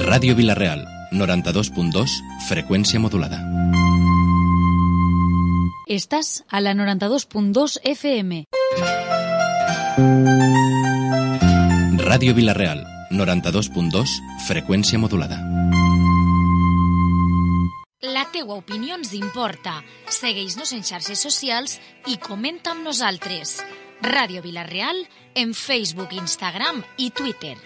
Ràdio Vila-real, 92.2, freqüència modulada. Estàs a la 92.2 FM. Ràdio Vila-real, 92.2, freqüència modulada. La teua opinió ens importa. Segueix-nos en xarxes socials i comenta amb nosaltres. Ràdio Vila-real en Facebook, Instagram i Twitter.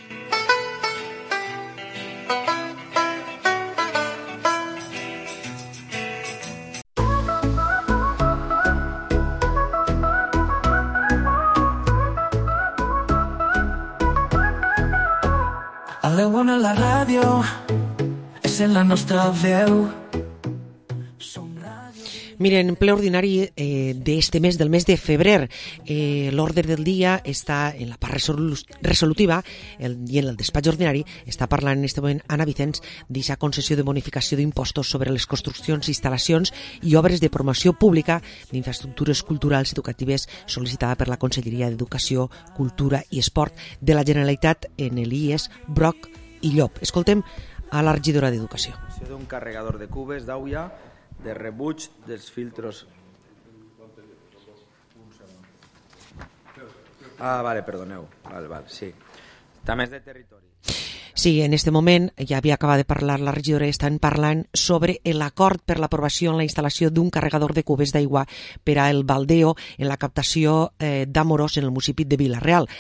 A l'Ewan a la ràdio és en la nostra veu. Miren, en ple ordinari d'este mes, del mes de febrer, l'ordre del dia està en la part resolutiva i en el despatx ordinari està parlant en este moment Anna Vicens d'aquesta concessió de bonificació d'impostos sobre les construccions, instal·lacions i obres de promoció pública d'infraestructures culturals i educatives sol·licitada per la Conselleria d'Educació, Cultura i Esport de la Generalitat en l'IES Broc i Llop. Escoltem a la regidora d'Educació. D'un carregador de cubes d'aigua de rebuig dels filtros. Vale, perdoneu. Vale, sí. També és de territori. Sí, en este moment, ja havia acabat de parlar la regidora, estan parlant sobre l'acord per l'aprovació en la instal·lació d'un carregador de cubes d'aigua per al baldeo en la captació d'Amorós en el municipi de Vila-real.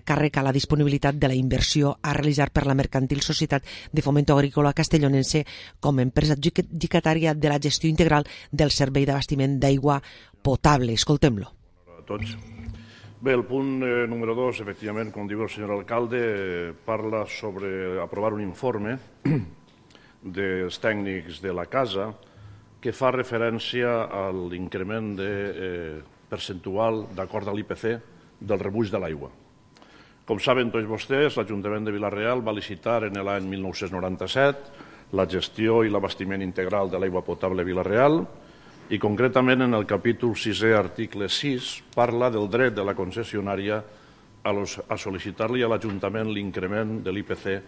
Càrrec a la disponibilitat de la inversió a realitzar per la Mercantil Societat de Fomento Agrícola Castellonense com a empresa adjudicatària de la gestió integral del servei d'abastiment d'aigua potable. Escoltem-lo. A tots. Bé, el punt número 2, efectivament, com diu el senyor alcalde, parla sobre aprovar un informe dels tècnics de la casa que fa referència a l'increment percentual d'acord a l'IPC del rebuig de l'aigua. Com saben tots vostès, l'Ajuntament de Vila-real va licitar en l'any 1997 la gestió i l'abastiment integral de l'aigua potable a Vila-real i concretament en el capítol 6è, article 6, parla del dret de la concessionària a sol·licitar-li a l'Ajuntament l'increment de l'IPC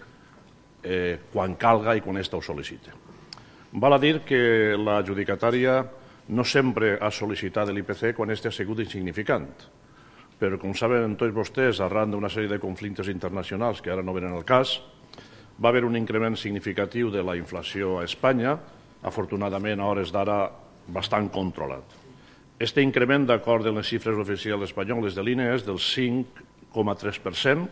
quan calga i quan ésta ho sol·licita. Val a dir que l'adjudicatària no sempre ha sol·licitat l'IPC quan ésta ha sigut insignificant, però com saben tots vostès, arran d'una sèrie de conflictes internacionals que ara no venen al cas, va haver un increment significatiu de la inflació a Espanya, afortunadament a hores d'ara bastant controlat. Este increment, d'acord amb les xifres oficials espanyoles de l'INE, és del 5,3%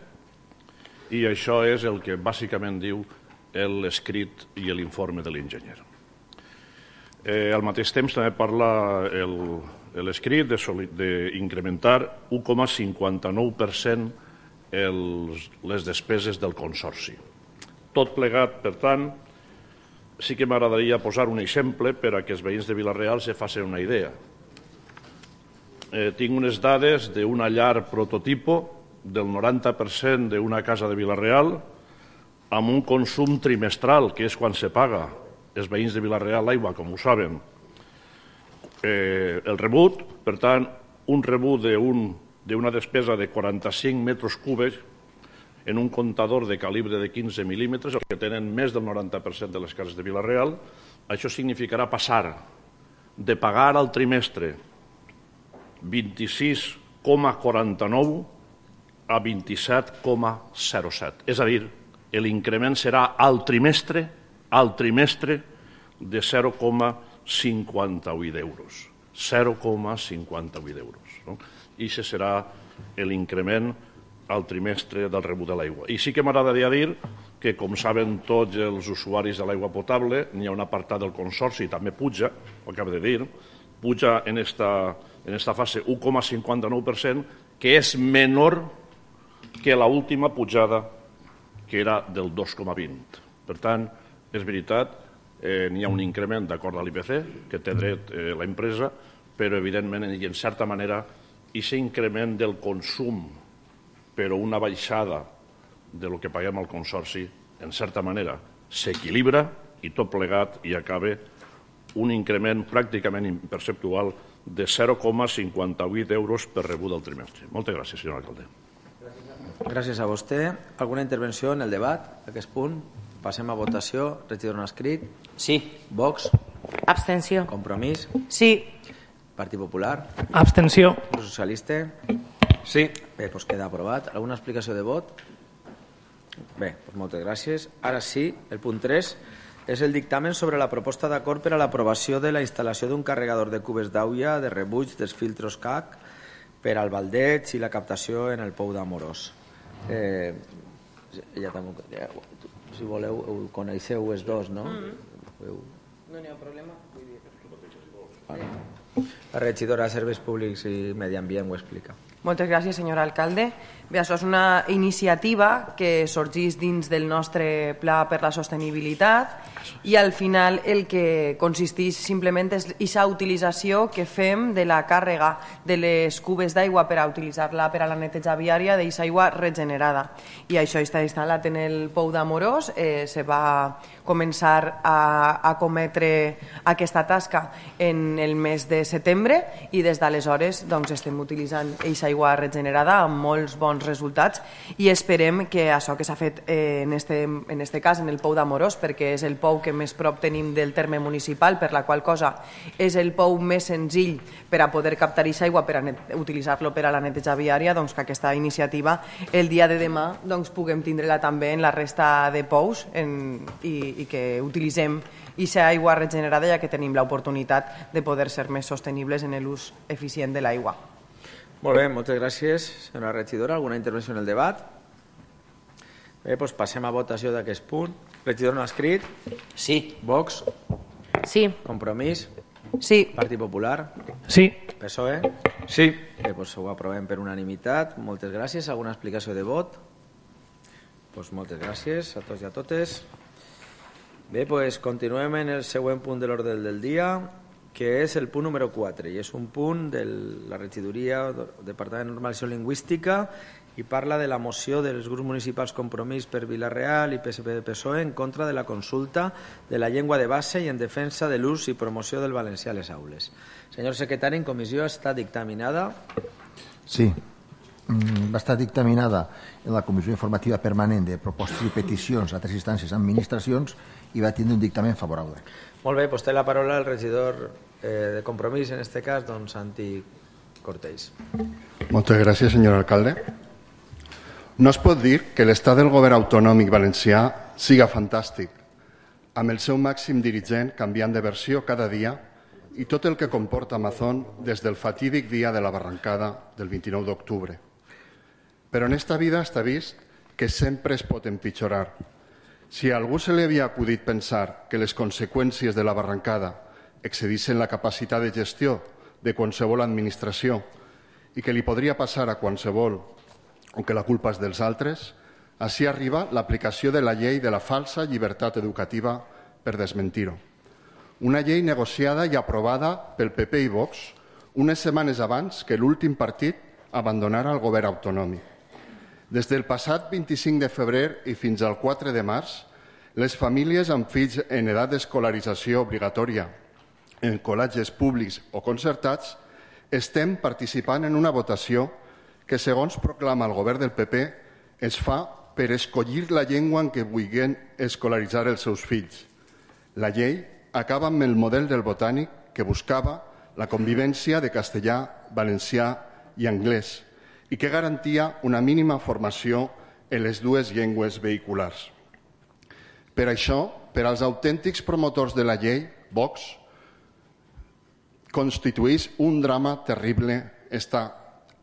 i això és el que bàsicament diu l'escrit i l'informe de l'enginyer. Al mateix temps també parla l'escrit d'incrementar 1,59% les despeses del consorci. Tot plegat, per tant, sí que m'agradaria posar un exemple per a que els veïns de Vila-real se facin una idea. Tinc unes dades d'una llar prototipo del 90% d'una casa de Vila-real amb un consum trimestral, que és quan se paga els veïns de Vila-real l'aigua, com ho saben. El rebut, per tant, un rebut d'una despesa de 45 metres cúbics en un comptador de calibre de 15 mil·límetres, el que tenen més del 90% de les cases de Vila-real, això significarà passar de pagar al trimestre 26,49 a 27,07. És a dir, l'increment serà al trimestre de 0,58 d'euros. 0,58 d'euros. I això serà l'increment al trimestre del rebut de l'aigua. I sí que m'agradaria dir que, com saben tots els usuaris de l'aigua potable, n'hi ha un apartat del consorci, també puja, ho acabo de dir, puja en esta fase 1,59%, que és menor que l'última pujada, que era del 2,20. Per tant, és veritat, n'hi ha un increment d'acord a l'IPC, que té dret l'empresa, però evidentment, i en certa manera, aquest increment del consum, però una baixada de lo que paguem al consorci, en certa manera, s'equilibra i tot plegat i acaba un increment pràcticament imperceptual de 0,58 euros per rebut del trimestre. Moltes gràcies, senyor alcalde. Gràcies a vostè. Alguna intervenció en el debat? Aquest punt. Passem a votació. Regidor no escrit. Sí. Vox. Abstenció. Compromís. Sí. Partit Popular. Abstenció. Grup Socialista. Sí. Bé, doncs queda aprovat. Alguna explicació de vot? Bé, doncs moltes gràcies. Ara sí, el punt 3 és el dictamen sobre la proposta d'acord per a l'aprovació de la instal·lació d'un carregador de cubes d'aigua de rebuig dels filtros CAC per al baldeig i la captació en el pou d'Amorós. Ja també, si voleu, ho coneixeu els dos, no? No n'hi ha problema. La regidora de Serveis Públics i Medi Ambient ho explica. Moltes gràcies, senyor alcalde. Bé, això és una iniciativa que sorgeix dins del nostre Pla per la Sostenibilitat i al final el que consisteix simplement és aquesta utilització que fem de la càrrega de les cubes d'aigua per a utilitzar-la per a la neteja viària d'aquesta aigua regenerada. I això està instal·lat en el pou d'Amorós. Se va començar a cometre aquesta tasca en el mes de setembre i des d'aleshores estem utilitzant aquesta aigua regenerada amb molts bons resultats i esperem que això que s'ha fet en este cas en el pou d'Amorós, perquè és el pou que més prop tenim del terme municipal, per la qual cosa és el pou més senzill per a poder captar aquesta aigua per a utilitzar-lo per a la neteja viària, que aquesta iniciativa el dia de demà puguem tindre-la també en la resta de pous i que utilitzem aquesta aigua regenerada, ja que tenim l'oportunitat de poder ser més sostenibles en l'ús eficient de l'aigua. Molt bé, moltes gràcies, senyora regidora. Alguna intervenció en el debat? Bé, doncs passem a votació d'aquest punt. Regidor no ha escrit? Sí. Vox? Sí. Compromís? Sí. Partit Popular? Sí. PSOE? Sí. Bé, doncs ho aprovem per unanimitat. Moltes gràcies. Alguna explicació de vot? Doncs moltes gràcies a tots i a totes. Bé, doncs continuem en el següent punt de l'ordre del dia, que és el punt número 4, i és un punt de la regidoria del Departament de Normalització Lingüística i parla de la moció dels grups municipals Compromís per Vila-real i PSPV-PSOE en contra de la consulta de la llengua de base i en defensa de l'ús i promoció del valencià a les aules. Senyor secretari, en comissió està dictaminada? Sí, va estar dictaminada en la Comissió Informativa Permanent de Propostes i Peticions a 3 instàncies administracions i va tindre un dictamen favorable. Molt bé, doncs té la paraula el regidor de Compromís, en aquest cas, Santi Cortells. Moltes gràcies, senyor alcalde. No es pot dir que l'estat del govern autonòmic valencià siga fantàstic, amb el seu màxim dirigent canviant de versió cada dia i tot el que comporta Amazon des del fatídic dia de la barrancada del 29 d'octubre. Però en esta vida està vist que sempre es pot empitjorar. Si a algú se li havia acudit pensar que les conseqüències de la barrancada excedissin la capacitat de gestió de qualsevol administració i que li podria passar a qualsevol o que la culpa és dels altres, així arriba l'aplicació de la llei de la falsa llibertat educativa per desmentir-ho. Una llei negociada i aprovada pel PP i Vox unes setmanes abans que l'últim partit abandonara el govern autonòmic. Des del passat 25 de febrer i fins al 4 de març, les famílies amb fills en edat d'escolarització obligatòria en col·legis públics o concertats estem participant en una votació que, segons proclama el govern del PP, es fa per escollir la llengua en què vulguin escolaritzar els seus fills. La llei acaba amb el model del Botànic que buscava la convivència de castellà, valencià i anglès i que garantia una mínima formació en les dues llengües vehiculars. Per això, per als autèntics promotors de la llei, Vox, constitueix un drama terrible esta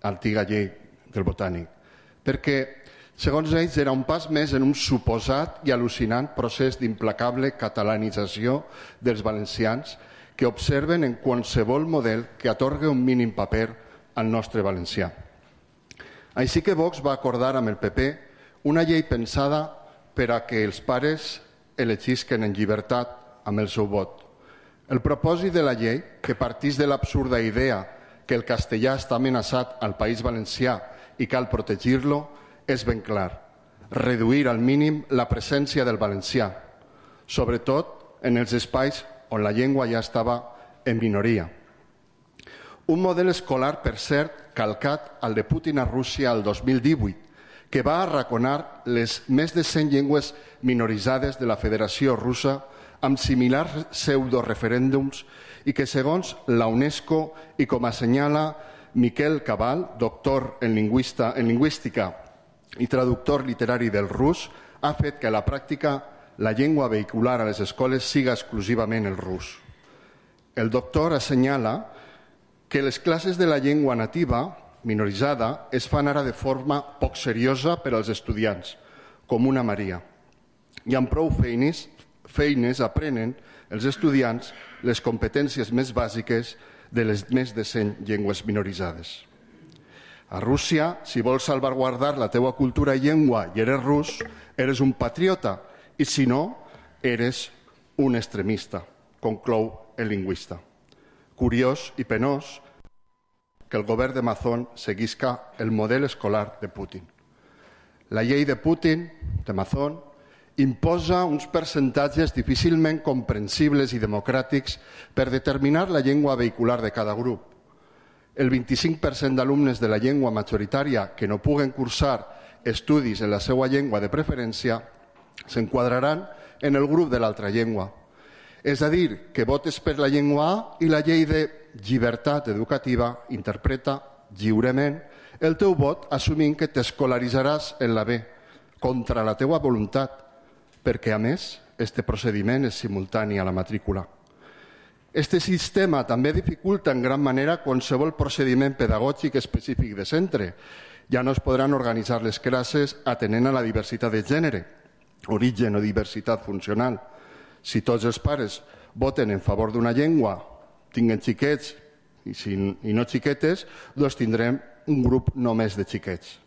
antiga llei del Botànic, perquè, segons ells, era un pas més en un suposat i al·lucinant procés d'implacable catalanització dels valencians que observen en qualsevol model que atorga un mínim paper al nostre valencià. Així que Vox va acordar amb el PP una llei pensada per a que els pares elegisquen en llibertat amb el seu vot. El propòsit de la llei, que partís de l'absurda idea que el castellà està amenaçat al País Valencià i cal protegir-lo, és ben clar: reduir al mínim la presència del valencià, sobretot en els espais on la llengua ja estava en minoria. Un model escolar, per cert, calcat al de Putin a Rússia el 2018, que va arraconar les més de 100 llengües minoritzades de la Federació Russa amb similars pseudoreferèndums i que, segons la UNESCO i com assenyala Miquel Cabal, doctor en lingüística i traductor literari del rus, ha fet que a la pràctica la llengua vehicular a les escoles siga exclusivament el rus. El doctor assenyala que les classes de la llengua nativa minoritzada es fan ara de forma poc seriosa per als estudiants, com una Maria. I amb prou feines aprenen els estudiants les competències més bàsiques de les més de 100 llengües minoritzades. A Rússia, si vols salvaguardar la teua cultura i llengua i eres rus, eres un patriota, i si no, eres un extremista, conclou el lingüista. Curiós i penós que el govern de Mazón seguisca el model escolar de Putin. La llei de Putin, de Mazón, imposa uns percentatges difícilment comprensibles i democràtics per determinar la llengua vehicular de cada grup. El 25% d'alumnes de la llengua majoritària que no puguen cursar estudis en la seva llengua de preferència s'enquadraran en el grup de l'altra llengua. És a dir, que votes per la llengua A i la llei de llibertat educativa interpreta lliurement el teu vot assumint que t'escolaritzaràs en la B, contra la teua voluntat, perquè, a més, este procediment és simultani a la matrícula. Este sistema també dificulta en gran manera qualsevol procediment pedagògic específic de centre. Ja no es podran organitzar les classes atenent a la diversitat de gènere, origen o diversitat funcional. Si tots els pares voten en favor d'una llengua, tinguen xiquets i no xiquetes, doncs tindrem un grup només de xiquets.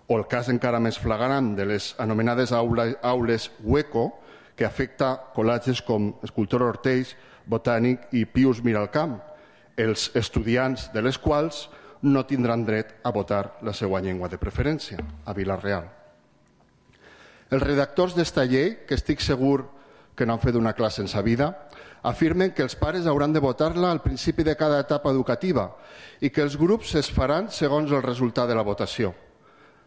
O el cas encara més flagrant de les anomenades aules hueco, que afecta col·legis com Escultor Ortells, Botànic i Pius Miralcamp, els estudiants de les quals no tindran dret a votar la seva llengua de preferència, a Vila-real. Els redactors d'esta llei, que estic segur que no han fet una classe en sa vida, afirmen que els pares hauran de votar-la al principi de cada etapa educativa i que els grups es faran segons el resultat de la votació.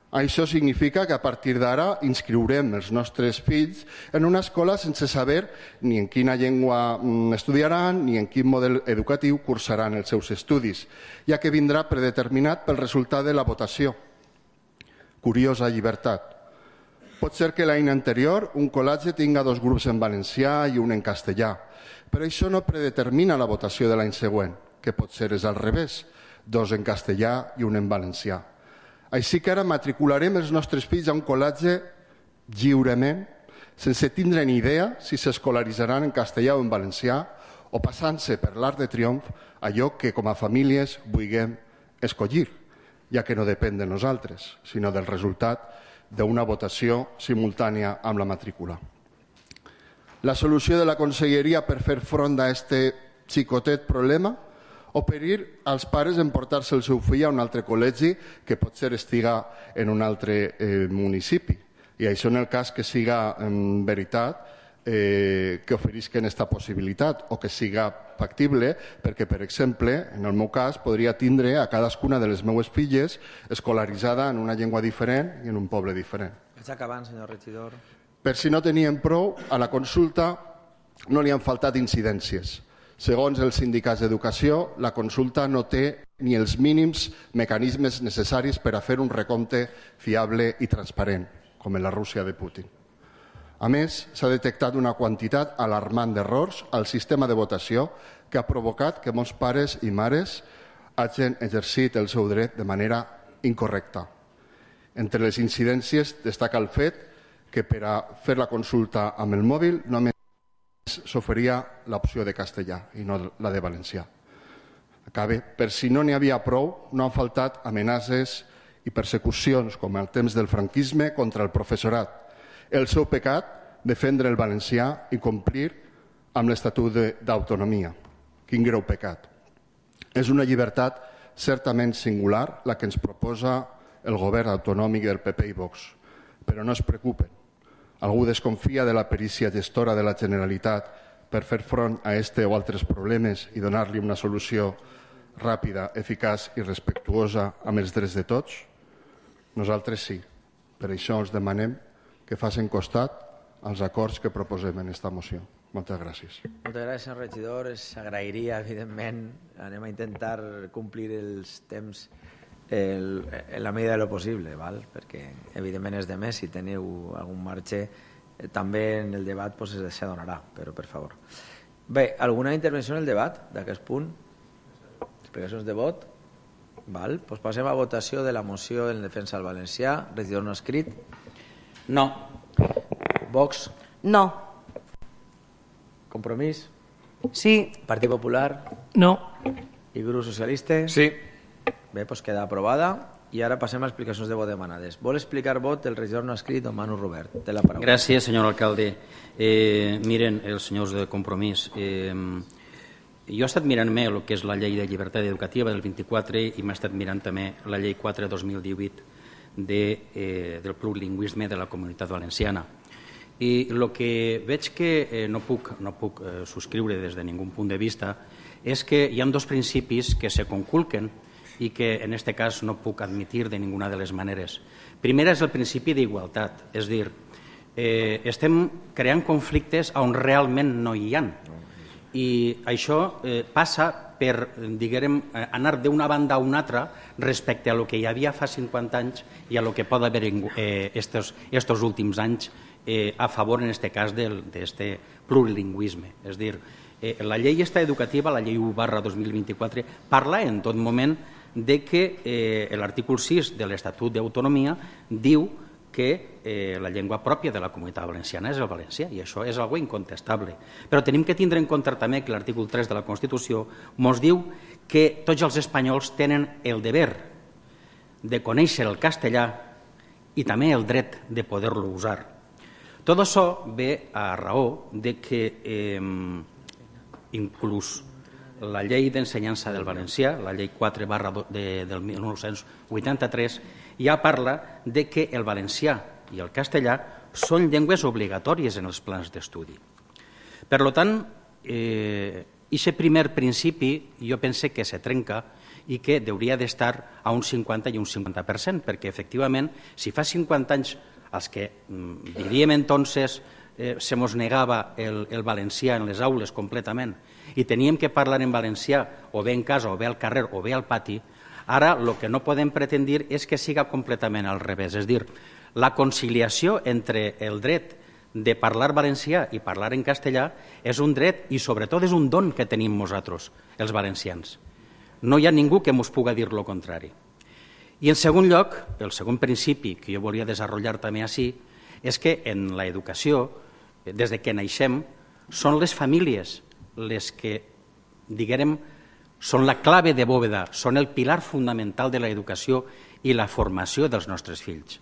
Això significa que a partir d'ara inscriurem els nostres fills en una escola sense saber ni en quina llengua estudiaran ni en quin model educatiu cursaran els seus estudis, ja que vindrà predeterminat pel resultat de la votació. Curiosa llibertat. Pot ser que l'any anterior un col·legi tinga 2 grups en valencià i un en castellà, però això no predetermina la votació de l'any següent, que pot ser és al revés, 2 en castellà i un en valencià. Així que ara matricularem els nostres fills a un col·legi lliurement, sense tindre ni idea si s'escolaritzaran en castellà o en valencià, o passant-se per l'art de triomf allò que com a famílies vulguem escollir, ja que no depèn de nosaltres, sinó del resultat d'una votació simultània amb la matrícula. La solució de la Conselleria per fer front a aquest xicotet problema? Oferir als pares en portar-se el seu fill a un altre col·legi que potser estiga en un altre municipi. I això en el cas que siga en veritat que oferisquen aquesta possibilitat o que siga factible, perquè, per exemple, en el meu cas, podria tindre a cadascuna de les meues filles escolaritzada en una llengua diferent i en un poble diferent. Vaig acabant, senyor regidor. Per si no tenien prou, a la consulta no li han faltat incidències. Segons els sindicats d'educació, la consulta no té ni els mínims mecanismes necessaris per a fer un recompte fiable i transparent, com en la Rússia de Putin. A més, s'ha detectat una quantitat alarmant d'errors al sistema de votació que ha provocat que molts pares i mares hagin exercit el seu dret de manera incorrecta. Entre les incidències destaca el fet que per a fer la consulta amb el mòbil només s'oferia l'opció de castellà i no la de valencià. Acabe. Per si no n'hi havia prou, no han faltat amenaces i persecucions, com al temps del franquisme, contra el professorat. El seu pecat, defendre el valencià i complir amb l'Estatut d'autonomia. Quin greu pecat. És una llibertat certament singular la que ens proposa el govern autonòmic del PP i Vox. Però no es preocupen. Algú desconfia de la perícia gestora de la Generalitat per fer front a este o altres problemes i donar-li una solució ràpida, eficaç i respectuosa amb els drets de tots? Nosaltres sí. Per això us demanem que facin costat als acords que proposem en aquesta moció. Moltes gràcies. Moltes gràcies, senyor regidor. S'agrairia, evidentment. Anem a intentar complir els temps en la medida de lo possible, val? Perquè, evidentment, és de més. Si teniu algun marge, també en el debat s'adonarà, però per favor. Bé, alguna intervenció en el debat d'aquest punt? Explicacions de vot? Val? Doncs passem a votació de la moció en defensa del valencià. Regidor no escrit? No. Vox? No. Compromís? Sí. Partit Popular? No. I grup socialista? Sí. Bé, doncs queda aprovada. I ara passem a explicacions de vot demanades. Vol explicar vot el regidor no escrit, don Manu Robert. Té la paraula. Gràcies, senyor alcalde. Miren, els senyors de Compromís, jo he estat mirant-me el que és la llei de llibertat educativa del 24 i m'he estat mirant també la llei 4-2018 del plurilingüisme de la Comunitat Valenciana. I el que veig que no puc subscriure des de ningú punt de vista és que hi ha dos principis que se conculquen i que en aquest cas no puc admitir de ninguna de les maneres. Primer és el principi d'igualtat, és a dir, estem creant conflictes on realment no hi ha. I això passa per, diguem, anar d'una banda a una altra respecte a lo que hi havia fa 50 anys i a lo que pot haver estos últims anys a favor, en aquest cas, d'aquest plurilingüisme. És a dir, la llei educativa, la llei 1/2024, parla en tot moment de que l'article 6 de l'Estatut d'Autonomia diu que la llengua pròpia de la Comunitat Valenciana és el valencià, i això és algo incontestable. Però tenim que tindre en compte també que l'article 3 de la Constitució ens diu que tots els espanyols tenen el deber de conèixer el castellà i també el dret de poder-lo usar. Tot això ve a raó de que inclús la llei d'ensenyança del valencià, la llei 4 del 1983, ja parla de que el valencià i el castellà són llengües obligatòries en els plans d'estudi. Per tant, aquest primer principi jo pense que se trenca i que hauria d'estar a un 50 i un 50%, perquè efectivament, si fa 50 anys els que diríem entonces se mos negava el valencià en les aules completament i teníem que parlar en valencià o bé en casa o bé al carrer o bé al pati, ara el que no podem pretendir és que siga completament al revés. És a dir, la conciliació entre el dret de parlar valencià i parlar en castellà és un dret i sobretot és un don que tenim nosaltres, els valencians. No hi ha ningú que ens pugui dir lo contrari. I en segon lloc, el segon principi que jo volia desenvolupar també així és que en l'educació, des de que naixem, són les famílies les que, diguem, són la clave de bóveda, són el pilar fonamental de l'educació i la formació dels nostres fills.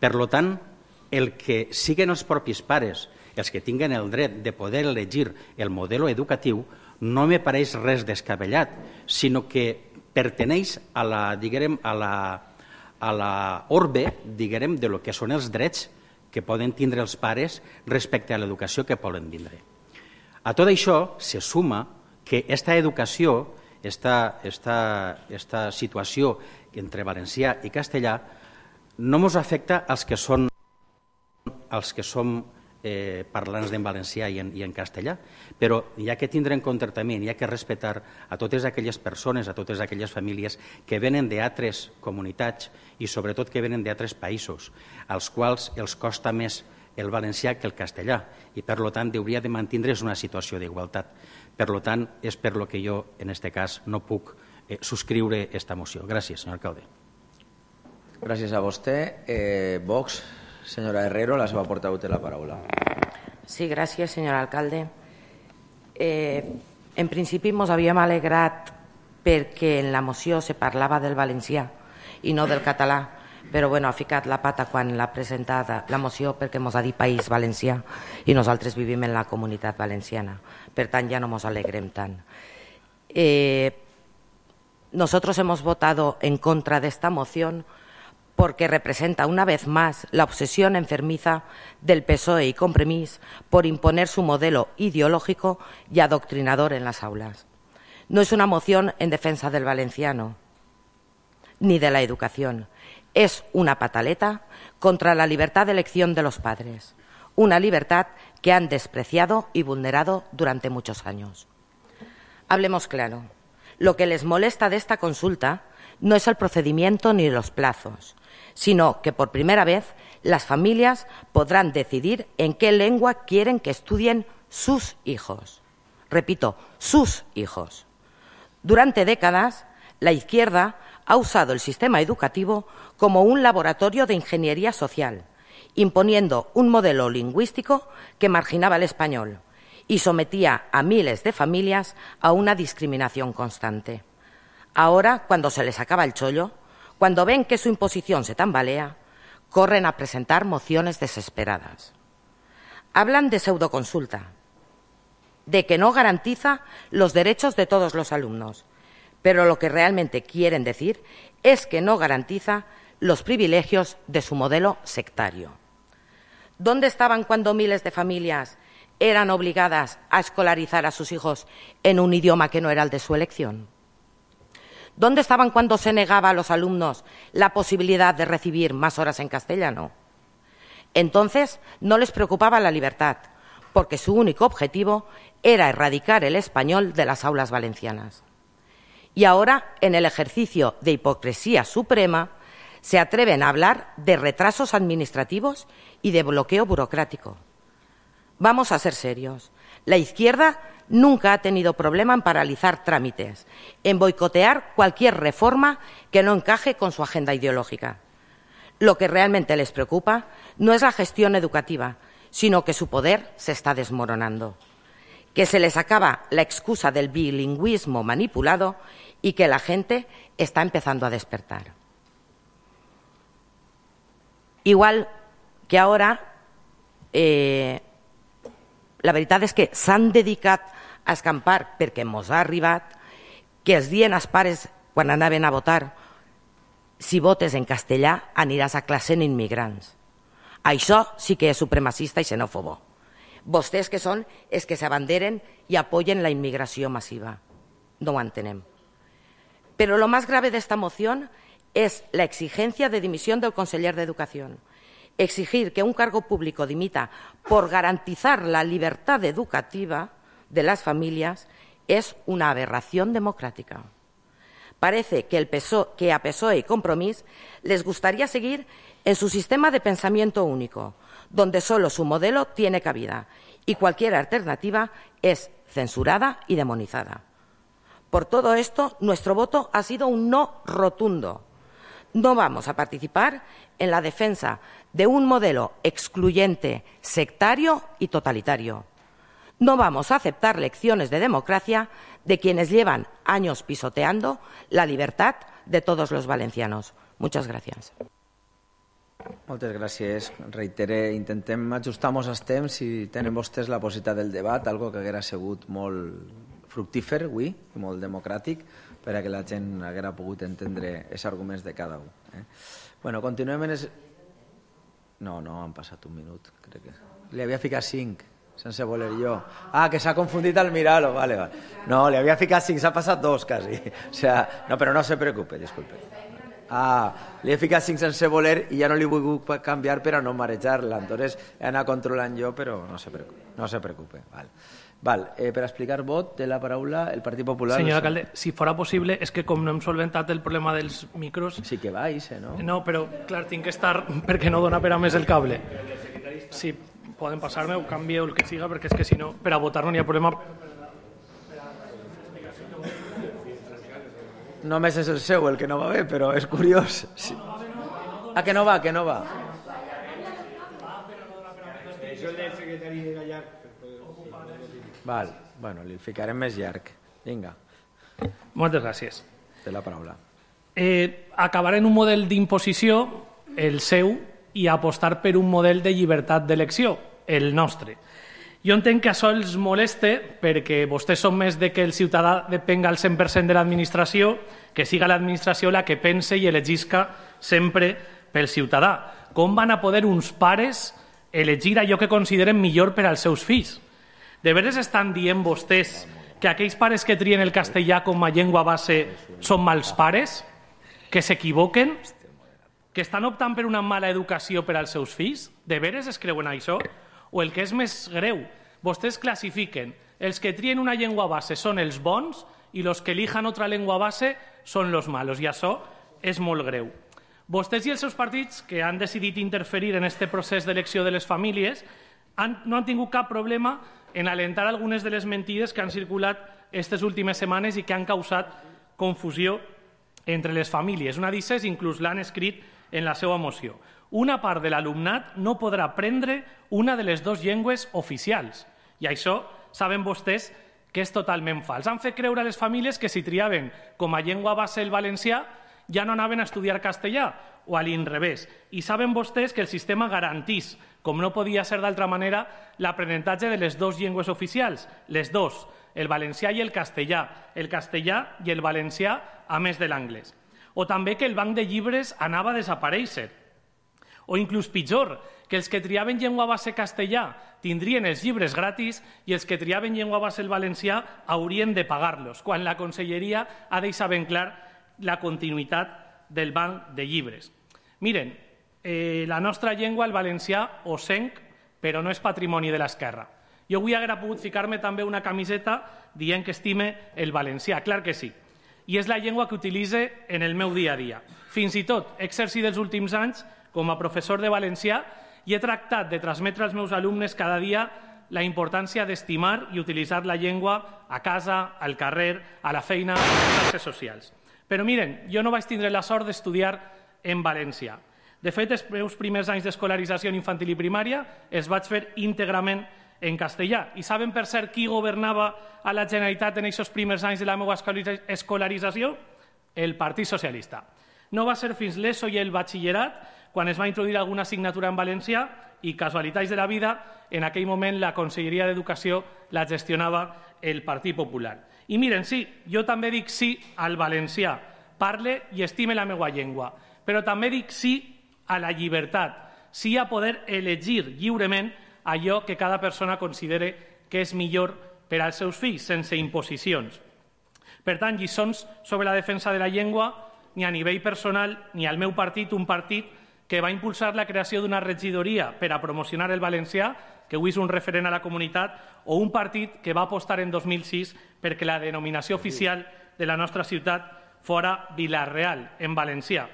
Per tant, el que siguin els propis pares els que tinguen el dret de poder elegir el model educatiu no me pareix res descabellat, sinó que perteneix a la, diguem, a la orbe, diguem, de lo que són els drets que poden tindre els pares respecte a l'educació que poden tindre. A tot això se suma que aquesta educació, aquesta situació entre valencià i castellà, no ens afecta als que som parlants en valencià i en castellà, però hi ha que tindre en compte també, hi ha que respectar a totes aquelles persones, a totes aquelles famílies que venen d'altres comunitats i sobretot que venen d'altres països, als quals els costa més el valencià que el castellà i per tant hauria de mantindre's una situació d'igualtat. Per tant, és per lo que jo en aquest cas no puc subscriure aquesta moció. Gràcies, senyor alcalde. Gràcies a vostè. Vox, senyora Herrero, la seva portaveu té la paraula. Sí, gràcies, senyor alcalde. En principi ens havíem alegrat perquè en la moció se parlava del valencià i no del català, però ha ficat la pata quan l'ha presentat la moció perquè ens ha dit País Valencià i nosaltres vivim en la Comunitat Valenciana. Per tant, ja no ens alegrem tant. Nosotros hemos votado en contra de esta moción porque representa una vez más la obsesión enfermiza del PSOE y Compromís por imponer su modelo ideológico y adoctrinador en las aulas. No es una moción en defensa del valenciano ni de la educación. es una pataleta contra la libertad de elección de los padres, una libertad que han despreciado y vulnerado durante muchos años. Hablemos claro, lo que les molesta de esta consulta no es el procedimiento ni los plazos, sino que por primera vez las familias podrán decidir en qué lengua quieren que estudien sus hijos. Repito, sus hijos. Durante décadas, la izquierda ha usado el sistema educativo como un laboratorio de ingeniería social, imponiendo un modelo lingüístico que marginaba el español y sometía a miles de familias a una discriminación constante. Ahora, cuando se les acaba el chollo, cuando ven que su imposición se tambalea, corren a presentar mociones desesperadas. Hablan de pseudoconsulta, de que no garantiza los derechos de todos los alumnos, pero lo que realmente quieren decir es que no garantiza los privilegios de su modelo sectario. ¿Dónde estaban cuando miles de familias eran obligadas a escolarizar a sus hijos en un idioma que no era el de su elección? ¿Dónde estaban cuando se negaba a los alumnos la posibilidad de recibir más horas en castellano? Entonces no les preocupaba la libertad, porque su único objetivo era erradicar el español de las aulas valencianas. Y ahora, en el ejercicio de hipocresía suprema, se atreven a hablar de retrasos administrativos y de bloqueo burocrático. Vamos a ser serios. La izquierda nunca ha tenido problema en paralizar trámites, en boicotear cualquier reforma que no encaje con su agenda ideológica. Lo que realmente les preocupa no es la gestión educativa, sino que su poder se está desmoronando, que se les acaba la excusa del bilingüismo manipulado y que la gente está empezando a despertar. Igual que ahora, la veritat és que s'han dedicat a escampar perquè mos ha arribat que els dien als pares quan anaven a votar si votes en castellà aniràs a classe en immigrants. Això sí que és supremacista i xenòfobo. Vostès que són els que s'abanderen i apoyen la inmigració masiva. No ho entenem. Pero lo más grave de esta moción es la exigencia de dimisión del conseller de Educación. Exigir que un cargo público dimita por garantizar la libertad educativa de las familias es una aberración democrática. Parece que a PSOE y Compromís les gustaría seguir en su sistema de pensamiento único, donde solo su modelo tiene cabida y cualquier alternativa es censurada y demonizada. Por todo esto, nuestro voto ha sido un no rotundo. No vamos a participar en la defensa de un modelo excluyente, sectario y totalitario. No vamos a aceptar lecciones de democracia de quienes llevan años pisoteando la libertad de todos los valencianos. Muchas gracias. Moltes gràcies. Reitere, intentem ajustar-nos als temps si tenen vostès la possibilitat del debat, algo que haguera sigut molt fructífer avui i molt democràtic perquè la gent haguera pogut entendre els arguments de cada un. Bueno, continuem en... No, han passat un minut, crec que... Li havia ficat 5, sense voler jo. Ah, que s'ha confundit al mirar-lo, vale. No, li havia ficat 5, s'ha passat 2, quasi. O sea, no, però no se preocupe, disculpe. Ah, li he ficat 5 sense voler i ja no li he volgut canviar per a no marejar-la. Entonces he anat controlant jo, però no se preocupe. Val. Per explicar vot, té la paraula el Partit Popular. Senyor alcalde, si fora possible, és que com no hem solventat el problema dels micros... Sí que va, no? No, però, clar, tinc que estar perquè no dona per a més el cable. Si poden passar-me o canvieu el que siga, perquè és que si no, per a votar no hi ha problema. Només és el seu el que no va bé, però és curiós. Sí. Ah, que no va. Això el del secretari de Gallar. Val, bueno, li ficarem més llarg. Vinga. Moltes gràcies. Té la paraula. Acabar en un model d'imposició, el seu, i apostar per un model de llibertat d'elecció, el nostre. Jo entenc que això els moleste perquè vostès són més de que el ciutadà depenga al 100% de l'administració, que siga l'administració la que pense i elegisca sempre pel ciutadà. Com van a poder uns pares elegir allò que consideren millor per als seus fills? De veres estan dient vostès que aquells pares que trien el castellà com a llengua base són mals pares? Que s'equivoquen? Que estan optant per una mala educació per als seus fills? De veres es creuen això? O el que és més greu, vostès classifiquen els que trien una llengua base són els bons i els que elijan otra llengua base són los malos, i això és molt greu. Vostès i els seus partits, que han decidit interferir en aquest procés d'elecció de les famílies, no han tingut cap problema en alentar algunes de les mentides que han circulat aquestes últimes setmanes i que han causat confusió entre les famílies. Una d'elles inclús l'han escrit en la seva moció. Una part de l'alumnat no podrà aprendre una de les dues llengües oficials. I això saben vostès que és totalment fals. Han fet creure a les famílies que si triaven com a llengua base el valencià ja no anaven a estudiar castellà o a l'inrevés. I saben vostès que el sistema garantís, com no podia ser d'altra manera, l'aprenentatge de les dues llengües oficials, les dues, el valencià i el castellà i el valencià a més de l'anglès. O també que el banc de llibres anava a desaparèixer. O inclús pitjor, que els que triaven llengua base castellà tindrien els llibres gratis i els que triaven llengua base el valencià haurien de pagar-los, quan la Conselleria ha deixat ben clar la continuïtat del banc de llibres. Miren, la nostra llengua, el valencià, ho senc, però no és patrimoni de l'esquerra. Jo avui hauria pogut ficar-me també una camiseta dient que estime el valencià, clar que sí. I és la llengua que utilitze en el meu dia a dia. Fins i tot he exercit els últims anys com a professor de valencià i he tractat de transmetre als meus alumnes cada dia la importància d'estimar i utilitzar la llengua a casa, al carrer, a la feina, a les xarxes socials. Però miren, jo no vaig tindre la sort d'estudiar en valencià. De fet, els meus primers anys d'escolarització en infantil i primària els vaig fer íntegrament en castellà. I saben, per cert, qui governava a la Generalitat en aquests primers anys de la meva escolarització? El Partit Socialista. No va ser fins l'ESO i el batxillerat quan es va introduir alguna assignatura en valencià i, casualitats de la vida, en aquell moment la Conselleria d'Educació la gestionava el Partit Popular. I miren, sí, jo també dic sí al valencià, parle i estime la meva llengua, però també dic sí a la llibertat, sí a poder elegir lliurement allò que cada persona considere que és millor per als seus fills, sense imposicions. Per tant, lliçons sobre la defensa de la llengua, ni a nivell personal ni al meu partit, un partit que va impulsar la creació d'una regidoria per a promocionar el valencià, que avui és un referent a la comunitat, o un partit que va apostar en 2006 perquè la denominació oficial de la nostra ciutat fora Vila-real, en valencià.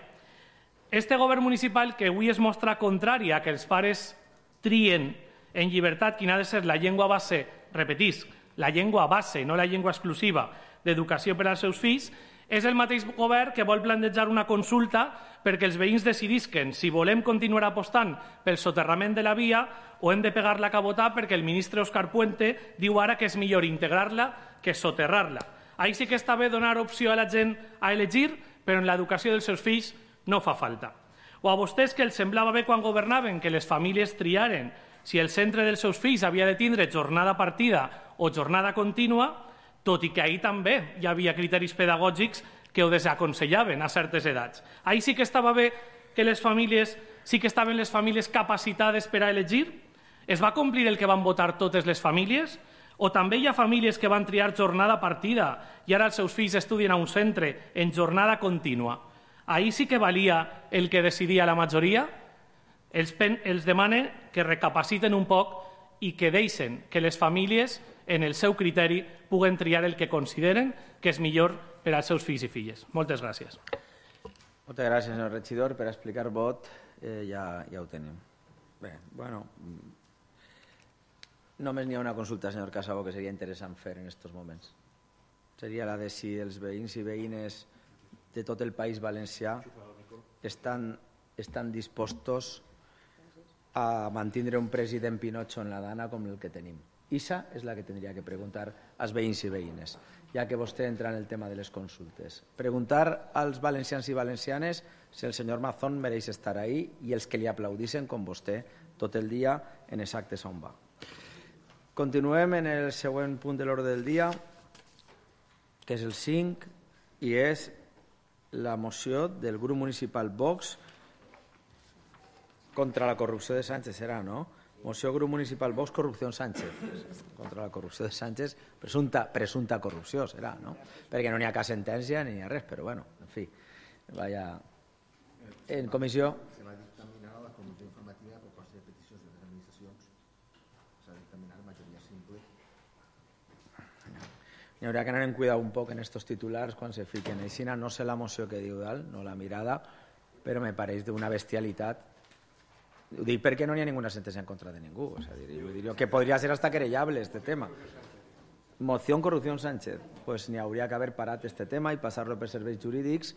Este govern municipal, que avui es mostra contrari a que els pares trien en llibertat quina ha de ser la llengua base, repetisc, la llengua base, no la llengua exclusiva, d'educació per als seus fills, és el mateix govern que vol plantejar una consulta perquè els veïns decidisquen si volem continuar apostant pel soterrament de la via o hem de pegar la cabota perquè el ministre Òscar Puente diu ara que és millor integrar-la que soterrar-la. Ahí sí que està bé donar opció a la gent a elegir, però en l'educació dels seus fills no fa falta. O a vostès que els semblava bé quan governaven que les famílies triaren si el centre dels seus fills havia de tindre jornada partida o jornada contínua, tot i que ahir també hi havia criteris pedagògics que ho desaconsellaven a certes edats. Ahir sí que estava bé que les famílies, sí que estaven les famílies capacitades per a elegir? Es va complir el que van votar totes les famílies? O també hi ha famílies que van triar jornada partida i ara els seus fills estudien a un centre en jornada contínua? Ahir sí que valia el que decidia la majoria? Els demanen que recapaciten un poc i que deixen que les famílies, en el seu criteri, puguen triar el que consideren que és millor per als seus fills i filles. Moltes gràcies. Moltes gràcies, senyor regidor. Per explicar vot ja ho tenim. Bé, bueno, només n'hi ha una consulta, senyor Casabó, que seria interessant fer en aquests moments. Seria la de si els veïns i veïnes de tot el País Valencià estan dispostos a mantindre un president Pinocho en la Dana com el que tenim. Issa és la que tindria que preguntar als veïns i veïnes, ja que vostè entra en el tema de les consultes. Preguntar als valencians i valencianes si el senyor Mazón mereix estar ahí i els que li aplaudissin com vostè tot el dia en els actes on va. Continuem en el següent punt de l'ordre del dia, que és el 5, i és la moció del grup municipal Vox contra la corrupció de Sánchez, serà, no? Moció grup municipal Vox, corrupció Sánchez. Contra la corrupció de Sánchez, presumpta corrupció, serà, no? Perquè no n'hi ha cap sentència ni hi ha res, però bueno, en fi, vaya En comissió. Se va dictaminar a la comissió informativa de propostes de peticions de les administracions. S'ha dictaminat majoria simple. Hi haurà que anar en cuidar un poc en estos titulars quan se fiquen. Així no sé la moció que diu dalt, no la mirada, però me pareix d'una bestialitat. Ho dic perquè no hi ha ninguna sentència en contra de ningú. O sea, diría que podría ser hasta querellable este tema. Moción corrupción Sánchez. Pues n'hi hauria que haver parat este tema i passar-lo per serveis jurídics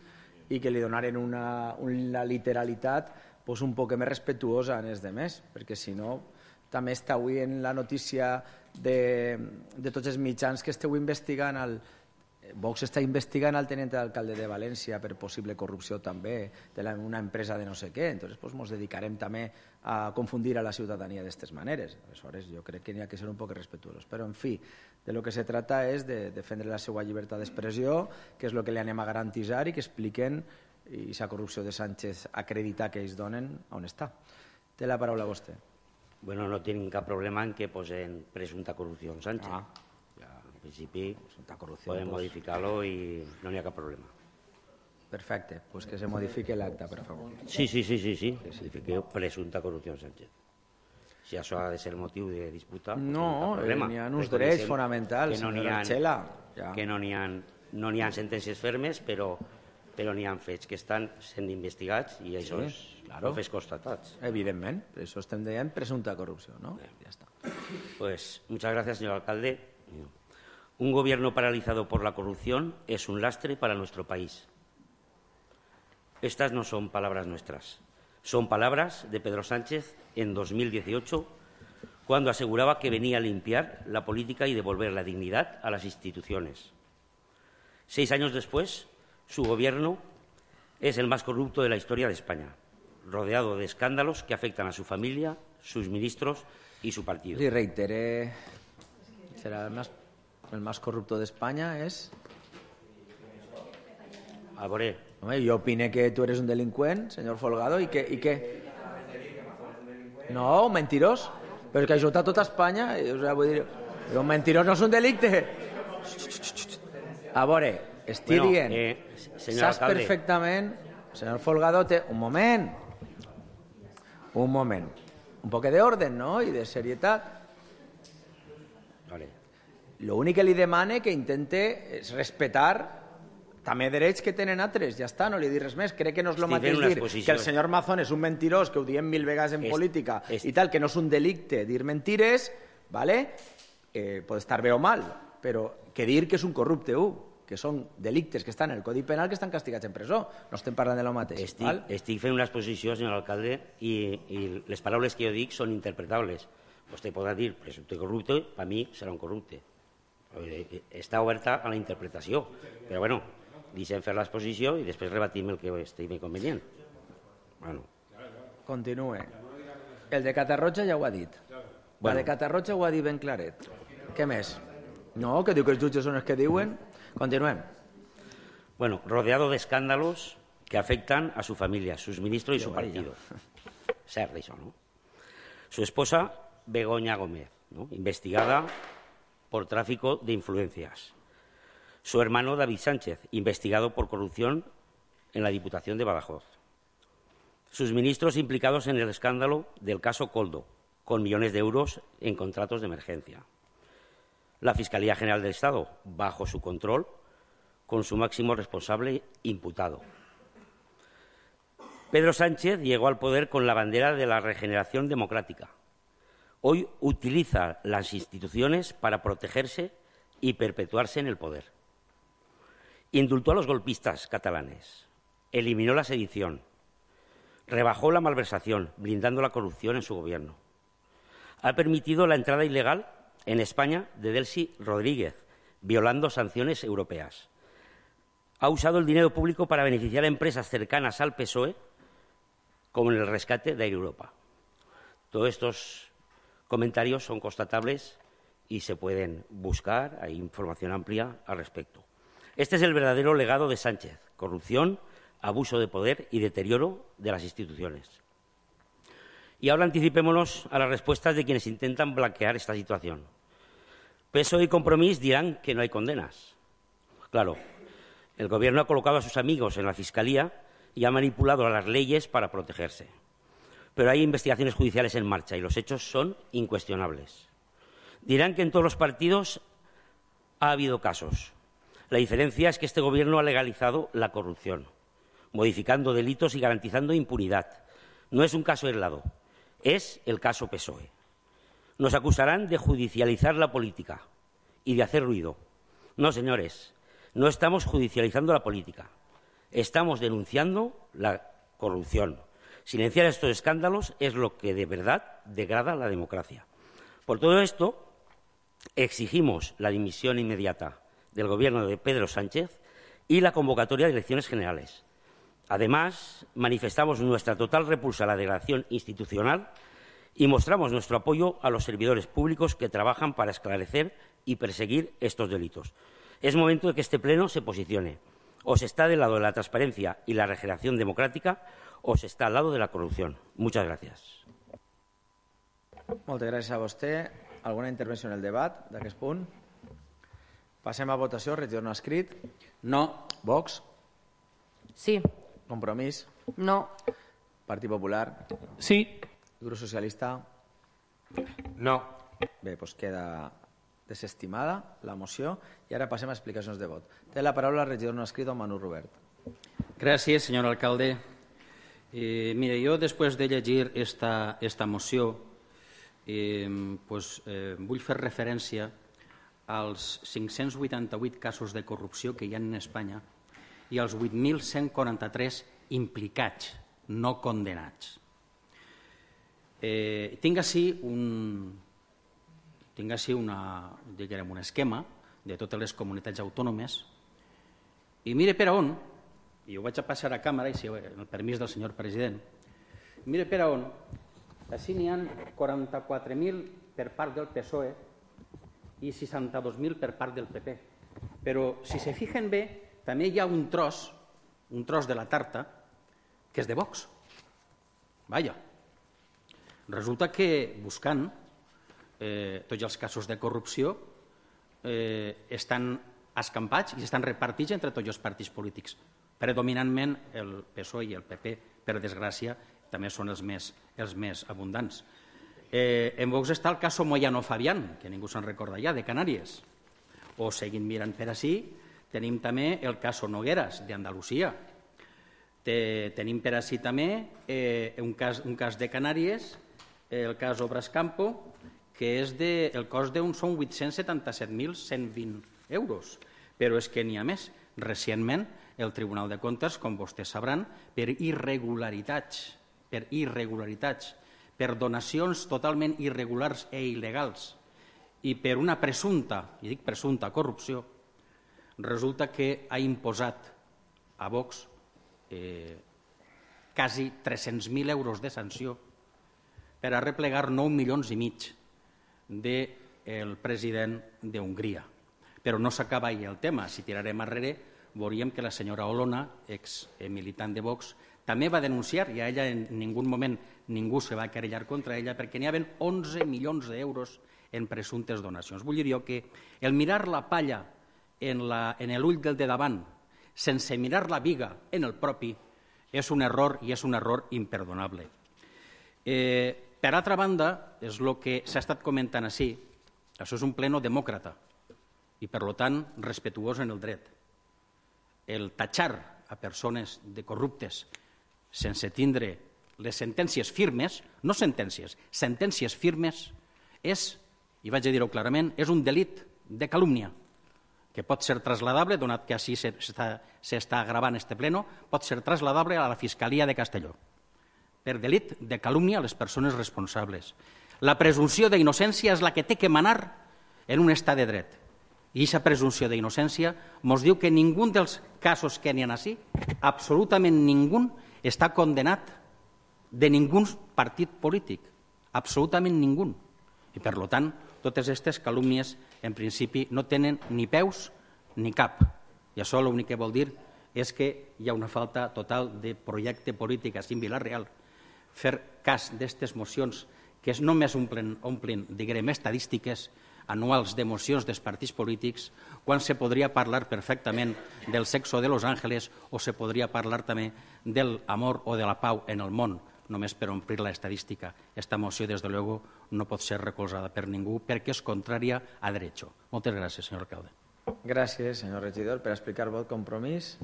i que li donaren una literalitat pues, un poc més respetuosa en els demés, perquè si no també està avui en la notícia de tots els mitjans que esteu investigant Vox està investigant al tenent d'alcalde de València per possible corrupció també d'una empresa de no sé què, entonces pues, ens dedicarem també a confundir a la ciutadania d'aquestes maneres. Aleshores jo crec que n'hi ha que ser un poc respetuosos, però en fi, de lo que se trata és de defendre la seva llibertat d'expressió, que és el que li anem a garantitzar i que expliquen i aquesta corrupció de Sánchez acreditar que ells donen on està. Té la paraula vostè. Bueno, no tienen cap problema en que posen presunta corrupción Sánchez. En principi podem modificar-lo i no n'hi ha cap problema. Perfecte, pues que se modifique l'acte, per favor. Sí, que se modifique presunta corrupción Sánchez. Si això ha de ser motiu de disputa, no n'hi ha uns drets fonamentals, senyora Archela. Que no n'hi ha sentències fermes, però n'hi ha fets que estan sent investigats i això és fets constatats. Evidentment, per això estem dient presunta corrupció, ¿no? Ya está. Pues muchas gracias, señor alcalde. Un gobierno paralizado por la corrupción es un lastre para nuestro país. Estas no son palabras nuestras, son palabras de Pedro Sánchez en 2018, cuando aseguraba que venía a limpiar la política y devolver la dignidad a las instituciones. 6 años después, su gobierno es el más corrupto de la historia de España, rodeado de escándalos que afectan a su familia, sus ministros y su partido. Y reiteré, será el más corrupto de España es... Aboré. Yo opiné que tú eres un delincuent, señor Folgado, y que... No, un mentirós. Però que això està tot a Espanya. O sea, vull dir, un mentirós no és un delicte. A veure, estic dient... Saps perfectament... Señor Folgado, un moment. Un poc d'orden, no? I de serietat. Vale. Lo únic que li demane que intente és respetar també drets que tenen altres, ja està, no li dic res més. Crec que no és el mateix dir que el senyor Mazón és un mentirós, que ho diem 1000 vegades en política i tal, que no és un delicte dir mentires, ¿vale? Pot estar bé o mal, però que dir que és un corrupte, que són delictes que estan en el Codi Penal que estan castigats en presó. No estem parlant de lo mateix. Estic fent una exposició, senyor alcalde, i les paraules que jo dic són interpretables. Vostè podrà dir presumpte corrupte, per mi serà un corrupte. Està oberta a la interpretació, però bueno, deixem fer l'exposició i després rebatim el que estigui convenient. Bueno. Continue. El de Catarroja ja ho ha dit. El de Catarroja ho ha dit ben claret. Què més? No, que diu que els jutges són els que diuen. Continuem. Bueno, rodeado de escándalos que afectan a su familia, sus ministros y su partido. Cert, això, ¿no? Su esposa, Begoña Gómez, ¿no? Investigada por tráfico de influencias. Su hermano David Sánchez, investigado por corrupción en la Diputación de Badajoz. Sus ministros implicados en el escándalo del caso Coldo, con millones de euros en contratos de emergencia. La Fiscalía General del Estado, bajo su control, con su máximo responsable imputado. Pedro Sánchez llegó al poder con la bandera de la regeneración democrática. Hoy utiliza las instituciones para protegerse y perpetuarse en el poder. Indultó a los golpistas catalanes, eliminó la sedición, rebajó la malversación, blindando la corrupción en su gobierno. Ha permitido la entrada ilegal en España de Delcy Rodríguez, violando sanciones europeas. Ha usado el dinero público para beneficiar a empresas cercanas al PSOE, como en el rescate de Air Europa. Todos estos comentarios son constatables y se pueden buscar, hay información amplia al respecto. Este es el verdadero legado de Sánchez: corrupción, abuso de poder y deterioro de las instituciones. Y ahora anticipémonos a las respuestas de quienes intentan blanquear esta situación. PSOE y Compromís dirán que no hay condenas. Claro, el Gobierno ha colocado a sus amigos en la Fiscalía y ha manipulado las leyes para protegerse. Pero hay investigaciones judiciales en marcha y los hechos son incuestionables. Dirán que en todos los partidos ha habido casos. La diferencia es que este Gobierno ha legalizado la corrupción, modificando delitos y garantizando impunidad. No es un caso aislado, es el caso PSOE. Nos acusarán de judicializar la política y de hacer ruido. No, señores, no estamos judicializando la política. Estamos denunciando la corrupción. Silenciar estos escándalos es lo que de verdad degrada la democracia. Por todo esto, exigimos la dimisión inmediata del Gobierno de Pedro Sánchez y la convocatoria de elecciones generales. Además, manifestamos nuestra total repulsa a la degradación institucional y mostramos nuestro apoyo a los servidores públicos que trabajan para esclarecer y perseguir estos delitos. Es momento de que este Pleno se posicione. O se está del lado de la transparencia y la regeneración democrática o se està al lado de la corrupció. Muchas gracias. Moltes gràcies a vostè. Alguna intervenció en el debat d'aquest punt? Passem a votació. Regidor no escrit. No. Vox. Sí. Compromís. No. Partit Popular. Sí. Grup Socialista. No. Bé, doncs queda desestimada la moció i ara passem a explicacions de vot. Té la paraula el regidor no escrit, don Manu Robert. Gràcies, senyor alcalde. Mire, jo després de llegir esta moció vull fer referència als 588 casos de corrupció que hi ha en Espanya i als 8.143 implicats, no condenats. Tinc ací un esquema de totes les comunitats autònomes i mire per on, i ho vaig a passar a càmera, i amb el permís del senyor president, mire per on, així n'hi ha 44.000 per part del PSOE i 62.000 per part del PP. Però, si se fijen bé, també hi ha un tros de la tarta que és de Vox. Vaja. Resulta que, buscant tots els casos de corrupció, estan escampats i estan repartits entre tots els partits polítics. Predominantment el PSOE i el PP, per desgràcia, també són els més abundants. En Vox està el cas Moyano Fabián, que ningú se'n recorda ja, de Canàries. O seguint mirant per ací, tenim també el cas Nogueras, d'Andalusia. Tenim per ací també un cas de Canàries, el cas Obras Campo, que és el cost són 877.120 euros. Però és que n'hi ha més. Recentment, el Tribunal de Comptes, com vostès sabran, per irregularitats, per donacions totalment irregulars i il·legals i per una presumpta, i dic presumpta, corrupció, resulta que ha imposat a Vox quasi 300.000 euros de sanció per a replegar 9,5 milions del president d'Hongria. Però no s'acaba ahí el tema. Si tirarem enrere, veuríem que la senyora Olona, exmilitant de Vox, també va denunciar, i a ella en ningun moment ningú se va querellar contra ella, perquè n'hi havia 11 milions d'euros en presumptes donacions. Vull dir jo que el mirar la palla en l'ull del de davant, sense mirar la viga en el propi, és un error i és un error imperdonable. Per altra banda, és el que s'ha estat comentant ací, això és un pleno demòcrata i, per tant, respetuós en el dret. El tatxar a persones de corruptes sense tindre les sentències firmes, no sentències, sentències firmes, és, i vaig a dir-ho clarament, és un delit de calúmnia que pot ser trasladable, donat que així s'està gravant este pleno, pot ser trasladable a la Fiscalia de Castelló per delit de calúmnia a les persones responsables. La presumpció d'innocència és la que té que manar en un estat de dret. I aquesta presumpció d'innocència ens diu que ningú dels casos que n'hi ha així, absolutament ningú, està condenat de ningú partit polític. Absolutament ningú. I, per tant, totes aquestes calúmnies, en principi, no tenen ni peus ni cap. I això l'únic que vol dir és que hi ha una falta total de projecte polític a Vila-real. Fer cas d'aquestes mocions que només omplin, diguem, estadístiques, anuals de mocions dels partits polítics, quan se podria parlar perfectament del sexo de Los Ángeles o se podria parlar també del amor o de la pau en el món, només per omplir la estadística. Esta moció, des de luego, no pot ser recolzada per ningú perquè és contrària a derecho. Moltes gràcies, senyor alcalde. Gràcies, senyor regidor. Per explicar vot compromís,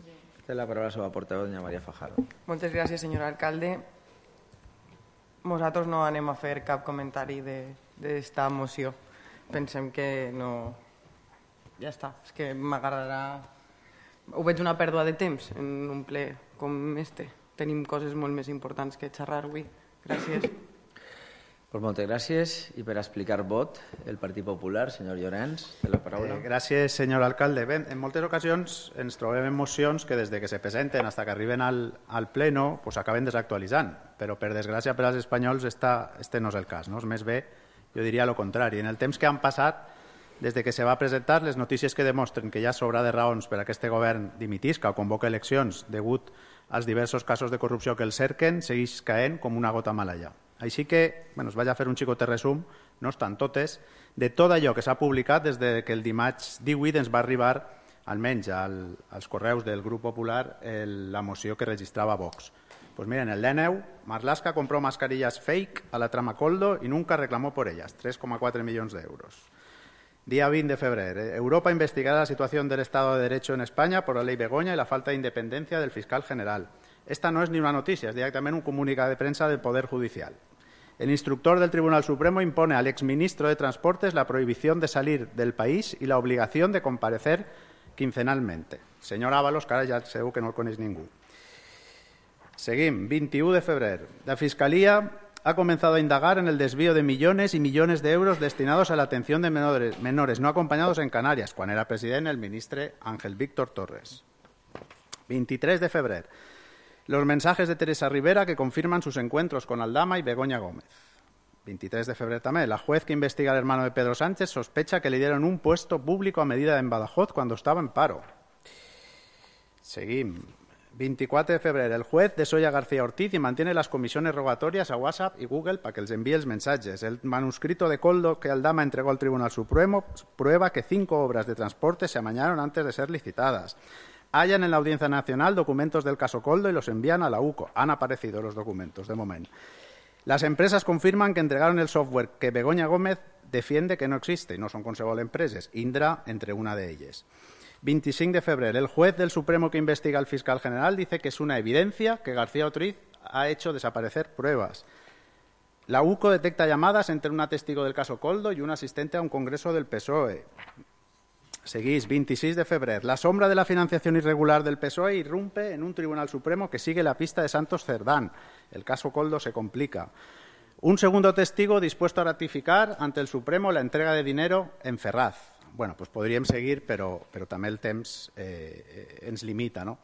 té la paraula la seva portaveu, doña María Fajardo. Moltes gràcies, senyor alcalde. Nosaltres no anem a fer cap comentari d'esta moció. Pensem que no... Ja està, és que m'agradarà... Ho veig una pèrdua de temps en un ple com este. Tenim coses molt més importants que xerrar avui. Gràcies. Pues moltes gràcies. I per explicar vot, el Partit Popular, senyor Llorenç, té la paraula. Gràcies, senyor alcalde. Bé, en moltes ocasions ens trobem en mocions que des de que se presenten fins que arriben al pleno pues acaben desactualitzant, però per desgràcia per als espanyols este no és el cas, no? És més bé, jo diria el contrari. En el temps que han passat, des de que se va presentar, les notícies que demostren que hi ha sobra de raons per a que aquest govern dimitisca o convoca eleccions degut als diversos casos de corrupció que el cerquen, segueix caent com una gota malaia. Així que, bueno, us vaig a fer un xicot resum, no estan totes, de tot allò que s'ha publicat des de que el dimarts 18 ens va arribar, almenys als correus del grup popular, la moció que registrava Vox. Pues miren, el D9, Marlaska compró mascarillas fake a la trama Coldo y nunca reclamó por ellas, 3,4 millones de euros. Día 20 de febrero. Europa investigará la situación del Estado de Derecho en España por la ley Begoña y la falta de independencia del fiscal general. Esta no es ni una noticia, es directamente un comunicado de prensa del Poder Judicial. El instructor del Tribunal Supremo impone al exministro de Transportes la prohibición de salir del país y la obligación de comparecer quincenalmente. Señor Ábalos, que ara ja segur que no el coneix ningú. Seguim. 21 de febrero. La Fiscalía ha comenzado a indagar en el desvío de millones y millones de euros destinados a la atención de menores no acompañados en Canarias, quan era president el ministre Ángel Víctor Torres. 23 de febrero. Los mensajes de Teresa Rivera que confirman sus encuentros con Aldama y Begoña Gómez. 23 de febrero también. La juez que investiga al hermano de Pedro Sánchez sospecha que le dieron un puesto público a medida en Badajoz cuando estaba en paro. Seguim. 24 de febrero. El juez desolla García Ortiz y mantiene las comisiones rogatorias a WhatsApp y Google para que les envíe los mensajes. El manuscrito de Coldo que Aldama entregó al Tribunal Supremo prueba que 5 obras de transporte se amañaron antes de ser licitadas. Hallan en la Audiencia Nacional documentos del caso Coldo y los envían a la UCO. Han aparecido los documentos, de momento. Las empresas confirman que entregaron el software que Begoña Gómez defiende que no existe, y no son qualsevol empreses. Indra, entre una de ellas. 25 de febrero. El juez del Supremo que investiga al fiscal general dice que es una evidencia que García Ortiz ha hecho desaparecer pruebas. La UCO detecta llamadas entre una testigo del caso Coldo y un asistente a un congreso del PSOE. Seguís. 26 de febrero. La sombra de la financiación irregular del PSOE irrumpe en un Tribunal Supremo que sigue la pista de Santos Cerdán. El caso Coldo se complica. Un segundo testigo dispuesto a ratificar ante el Supremo la entrega de dinero en Ferraz. Bueno, pues podríem seguir, però també el temps ens limita, no?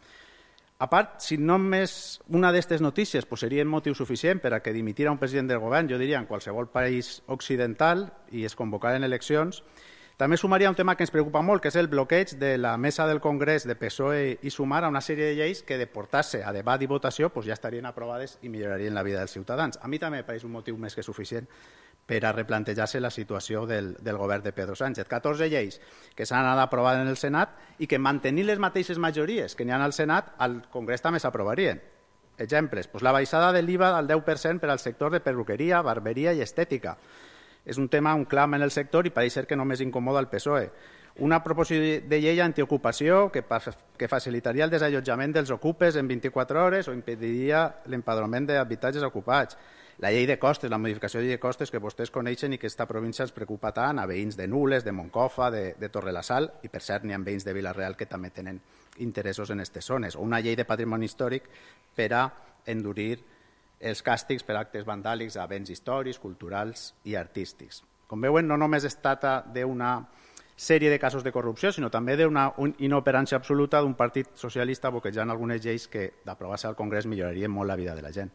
A part, si només una d'aquestes notícies pues, seria motiu suficient per a que dimitira un president del govern, jo diria en qualsevol país occidental i es convocaren eleccions, també sumaria un tema que ens preocupa molt, que és el bloqueig de la mesa del Congrés de PSOE i Sumar a una sèrie de lleis que de portar-se a debat i votació pues, ja estarien aprovades i millorarien la vida dels ciutadans. A mi també em pareix un motiu més que suficient per a replantejar-se la situació del govern de Pedro Sánchez. 14 lleis que s'han anat aprovant en el Senat i que mantenint les mateixes majories que n'hi ha al Senat, al Congrés també s'aprovarien. Exemples, pues la baixada de l'IVA al 10% per al sector de perruqueria, barberia i estètica. És un tema, un clam en el sector i pareix ser que només incomoda el PSOE. Una proposició de llei antiocupació que facilitaria el desallotjament dels ocupes en 24 hores o impediria l'empadronament d'habitatges ocupats. La llei de costes, la modificació de llei de costes que vostès coneixen i que aquesta província ens preocupa tant a veïns de Nules, de Moncofa, de Torrelasal i, per cert, n'hi ha veïns de Vila-real que també tenen interessos en aquestes zones. O una llei de patrimoni històric per a endurir els càstigs per actes vandàlics a béns històrics, culturals i artístics. Com veuen, no només es tracta d'una sèrie de casos de corrupció, sinó també d'una inoperància absoluta d'un partit socialista bloquejant algunes lleis que, d'aprovar-se al Congrés, millorarien molt la vida de la gent.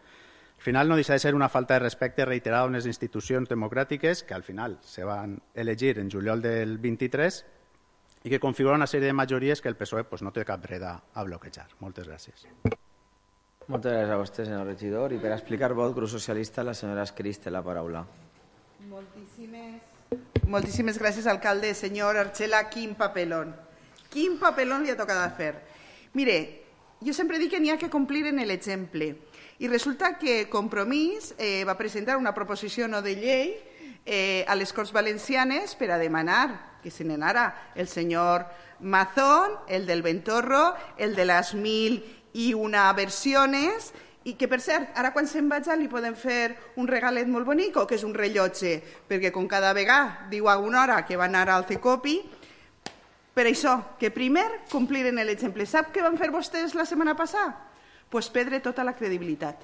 Al final no deixa de ser una falta de respecte reiterada a unes institucions democràtiques que al final se van elegir en juliol del 23 i que configuren una sèrie de majories que el PSOE pues, no té cap dret a bloquejar. Moltes gràcies. Moltes gràcies a vostè, senyor regidor. I per explicar vot, grup socialista, la senyora Escris té la paraula. Moltíssimes Moltíssimes gràcies, alcalde. Senyor Archela, quin papelón. Quin papelón li ha tocat fer. Mire, jo sempre dic que n'hi ha que complir en l'exemple. I resulta que Compromís va presentar una proposició no de llei a les Corts Valencianes per a demanar que se n'anara el senyor Mazón, el del Ventorro, el de les 1001 versiones, i que, per cert, ara quan se'n vaja li podem fer un regalet molt bonic, que és un rellotge, perquè com cada vegada diu a una hora que va anar al CECOPI, per això, que primer compliren l'exemple. Sap què van fer vostès la setmana passada? Pues perdre tota la credibilitat,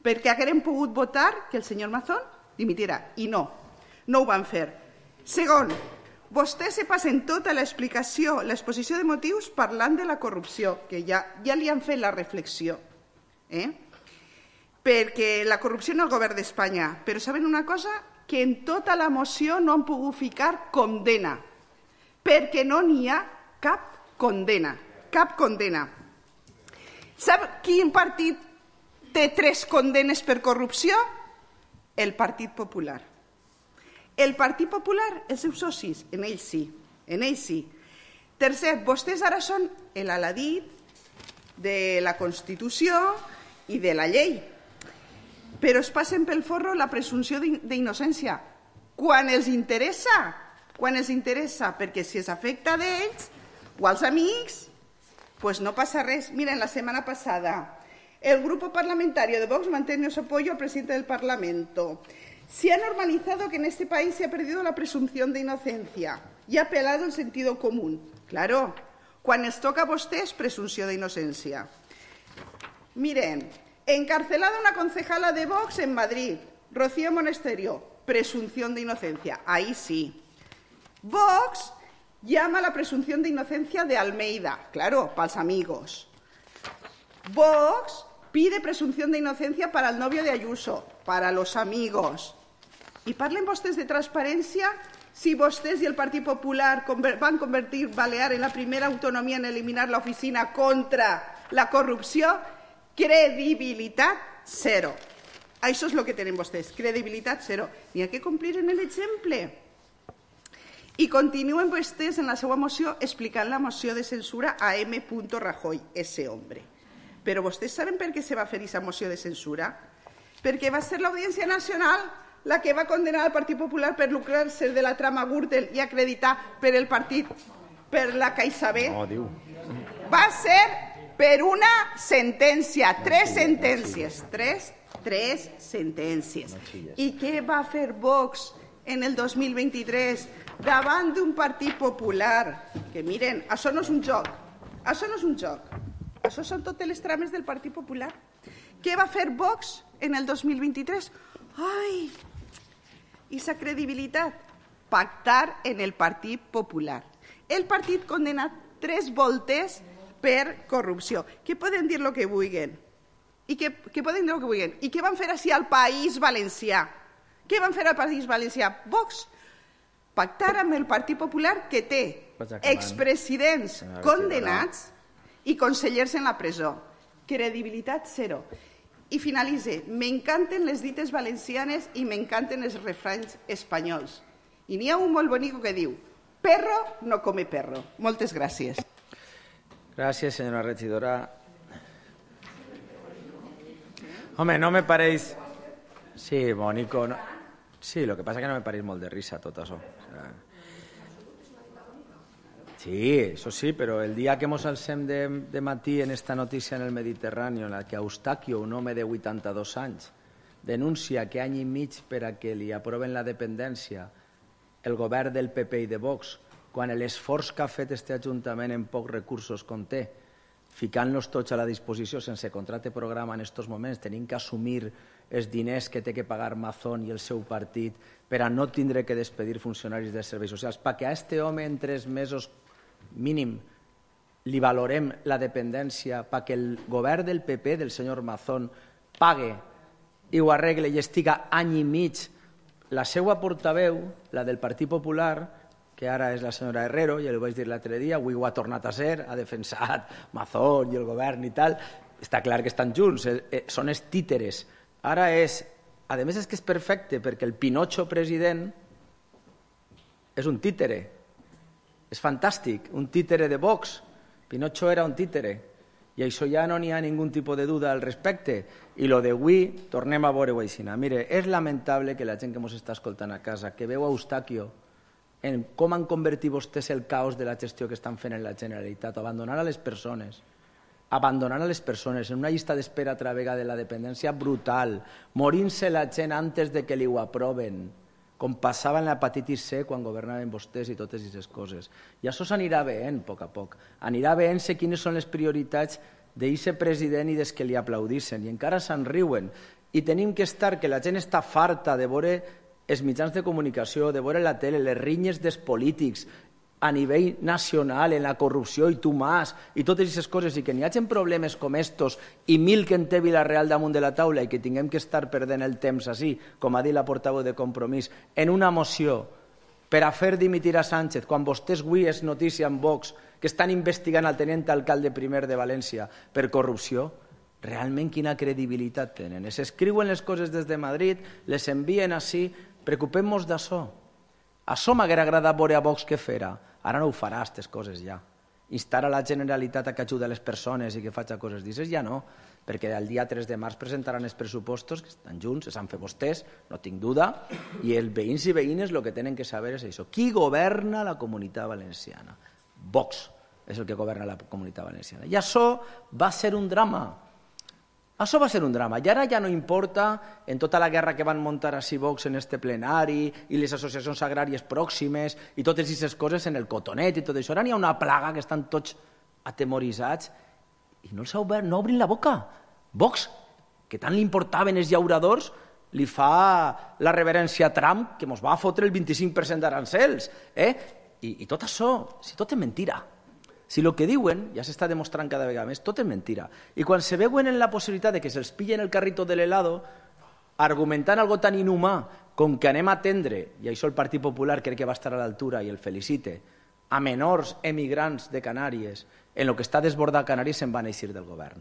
perquè haguérem pogut votar que el senyor Mazón dimitira, i no ho van fer. Segon, vostès se passen tota l'explicació, l'exposició de motius parlant de la corrupció, que ja li han fet la reflexió, perquè la corrupció en el govern d'Espanya, però saben una cosa? Que en tota la moció no han pogut ficar condena, perquè no n'hi ha cap condena, cap condena. Sap quin partit té 3 condenes per corrupció? El Partit Popular. El Partit Popular, els seus socis, en ells sí. Tercer, vostès ara són l'aladí de la Constitució i de la llei, però es passen pel forro la presumpció d'innocència. Quan els interessa, perquè si es afecta d'ells o als amics, pues no pasa res. Miren, la semana pasada el grupo parlamentario de Vox mantiene su apoyo al presidente del Parlamento. Se ha normalizado que en este país se ha perdido la presunción de inocencia y ha apelado el sentido común. Claro, cuando les toca a vostès, presunción de inocencia. Miren, encarcelada una concejala de Vox en Madrid, Rocío Monasterio, presunción de inocencia. Ahí sí. Vox llama a la presunción de inocencia de Almeida, claro, para los amigos. Vox pide presunción de inocencia para el novio de Ayuso, para los amigos. Y parlen vostès de transparencia si vostès y el Partido Popular van convertir Balear en la primera autonomía en eliminar la oficina contra la corrupción. Credibilitat cero. Això és el que tenen vostès, credibilitat zero. N'hi ha que complir en l'exemple. I continuen vostès en la seva moció explicant la moció de censura a M. Rajoy, ese hombre. Però vostès saben per què se va fer aquesta moció de censura? Perquè va ser l'Audiència Nacional la que va condenar al Partit Popular per lucrar-se de la trama Gürtel i acreditar per el partit, per la CaixaBank. No, diu. Va ser per una sentència, 3 sentències. 3 sentències. I què va fer Vox en el 2023 davant d'un Partit Popular? Que miren, això no és un joc. Això són totes les trames del Partit Popular. Què va fer Vox en el 2023? Ai, i sa credibilitat? Pactar en el Partit Popular. El partit condenat 3 voltes per corrupció. Que poden dir el que vulguin. I què van fer així al País Valencià? Què van fer al País Valencià? Vox pactar amb el Partit Popular, que té expresidents condenats i consellers en la presó. Credibilitat zero. I finalitze. M'encanten les dites valencianes i m'encanten els refranys espanyols. I n'hi ha un molt bonic que diu: perro no come perro. Moltes gràcies. Gracias, señora regidora. Hombre, no me paréis... Sí, bonico. No... Sí, lo que pasa es que no me paréis molt de risa tot això. O sea... Sí, eso sí, pero el día que mos alcem de matí en esta notícia en el Mediterráneo, en la que Eustaquio, un home de 82 anys, denuncia que any i mig per a que li aproven la dependència el govern del PP i de Vox, quan l'esforç que ha fet este Ajuntament en pocs recursos conté, ficant-los tots a la disposició sense contracte programa en aquests moments, tenint que assumir els diners que té que pagar Mazón i el seu partit per a no tindre que despedir funcionaris dels serveis socials, perquè a este home en 3 mesos mínim li valorem la dependència, perquè el govern del PP, del senyor Mazón, pague i ho arregle i estiga any i mig. La seva portaveu, la del Partit Popular, que ara és la senyora Herrero, ja ho vaig dir l'altre dia, avui ho ha tornat a ser, ha defensat Mazón i el govern i tal, està clar que estan junts, són els títeres. Ara és, a més és que és perfecte, perquè el Pinocho president és un títere. És fantàstic, un títere de Vox. Pinocho era un títere. I això ja no n'hi ha ningú tipus de duda al respecte. I lo d'avui, tornem a veure-ho així. Mire, és lamentable que la gent que ens està escoltant a casa, que veu a Eustaquio en com han convertit vostès el caos de la gestió que estan fent en la Generalitat, abandonant a les persones en una llista d'espera a través de la dependència brutal, morint-se la gent antes de que li ho aproven, com passava en l'hepatitis C quan governaven vostès i totes aquestes coses. I això s'anirà veient a poc a poc. Anirà veient-se quines són les prioritats d'aquest president i des que li aplaudissin. I encara se'n riuen. I tenim que estar, que la gent està farta de veure els mitjans de comunicació, de veure la tele, les rinyes dels polítics a nivell nacional, en la corrupció i tu más, i totes aquestes coses, i que n'hi hagi problemes com estos i mil que en té Vilareal damunt de la taula i que tinguem que estar perdent el temps així, com ha dit la portaveu de Compromís, en una moció per a fer dimitir a Sánchez, quan vostès avui és notícia en Vox que estan investigant el tenent alcalde primer de València per corrupció, realment quina credibilitat tenen? S'escriuen les coses des de Madrid, les envien així, preocupem-nos d'això. Això m'haguera agradat veure a Vox que fera. Ara no ho farà, aquestes coses ja. Instar a la Generalitat a que ajudi a les persones i que faci coses d'aixes, ja no, perquè el dia 3 de març presentaran els pressupostos, que estan junts, s'han fet vostès, no tinc duda, i els veïns i veïnes el que tenen que saber és això. Qui governa la Comunitat Valenciana? Vox és el que governa la Comunitat Valenciana. I això va ser un drama. Això va ser un drama. I ara ja no importa, en tota la guerra que van muntar així Vox en este plenari i les associacions agràries pròximes i totes aquestes coses en el cotonet i tot això. Ara n'hi ha una plaga que estan tots atemoritzats i no els ha obert, no obrin la boca. Vox, que tant li importaven els llauradors, li fa la reverència a Trump, que ens va fotre el 25% d'arancels. I tot això, si tot és mentira. Si el que diuen, ja s'està demostrant cada vegada més, tot és mentira. I quan se veuen en la possibilitat de que se'ls pillen el carrito de l'helado, argumentant algo tan inhumà com que anem a atendre, i això el Partit Popular crec que va estar a l'altura i el felicite, a menors emigrants de Canàries, en el que està desbordat Canàries se'n van eixir del govern.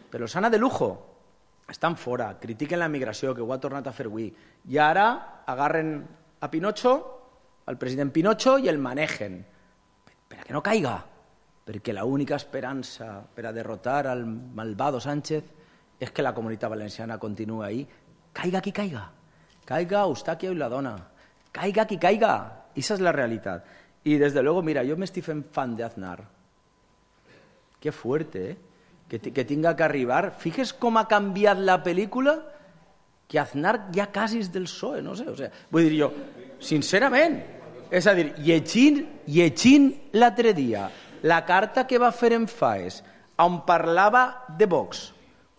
Però s'han de lujo, estan fora, critiquen la migració, que ho ha tornat a fer avui, i ara agarren a Pinocho, al president Pinocho, i el manegen, per a que no caiga. Perquè l'única esperança per a derrotar al malvado Sánchez és que la Comunitat Valenciana continuï ahí. Caiga qui caiga. Caiga Eustaquio i la dona. Caiga qui caiga. Esa és la realitat. I des de luego, mira, jo m'estic fent fan de Aznar. Que fuerte, que tinga que arribar. Fixes com ha canviat la pel·lícula, que Aznar ja quasi és del PSOE, no sé. O sea, vull dir jo, sincerament, és a dir, llegint l'altre dia la carta que va fer en Faes, on parlava de Vox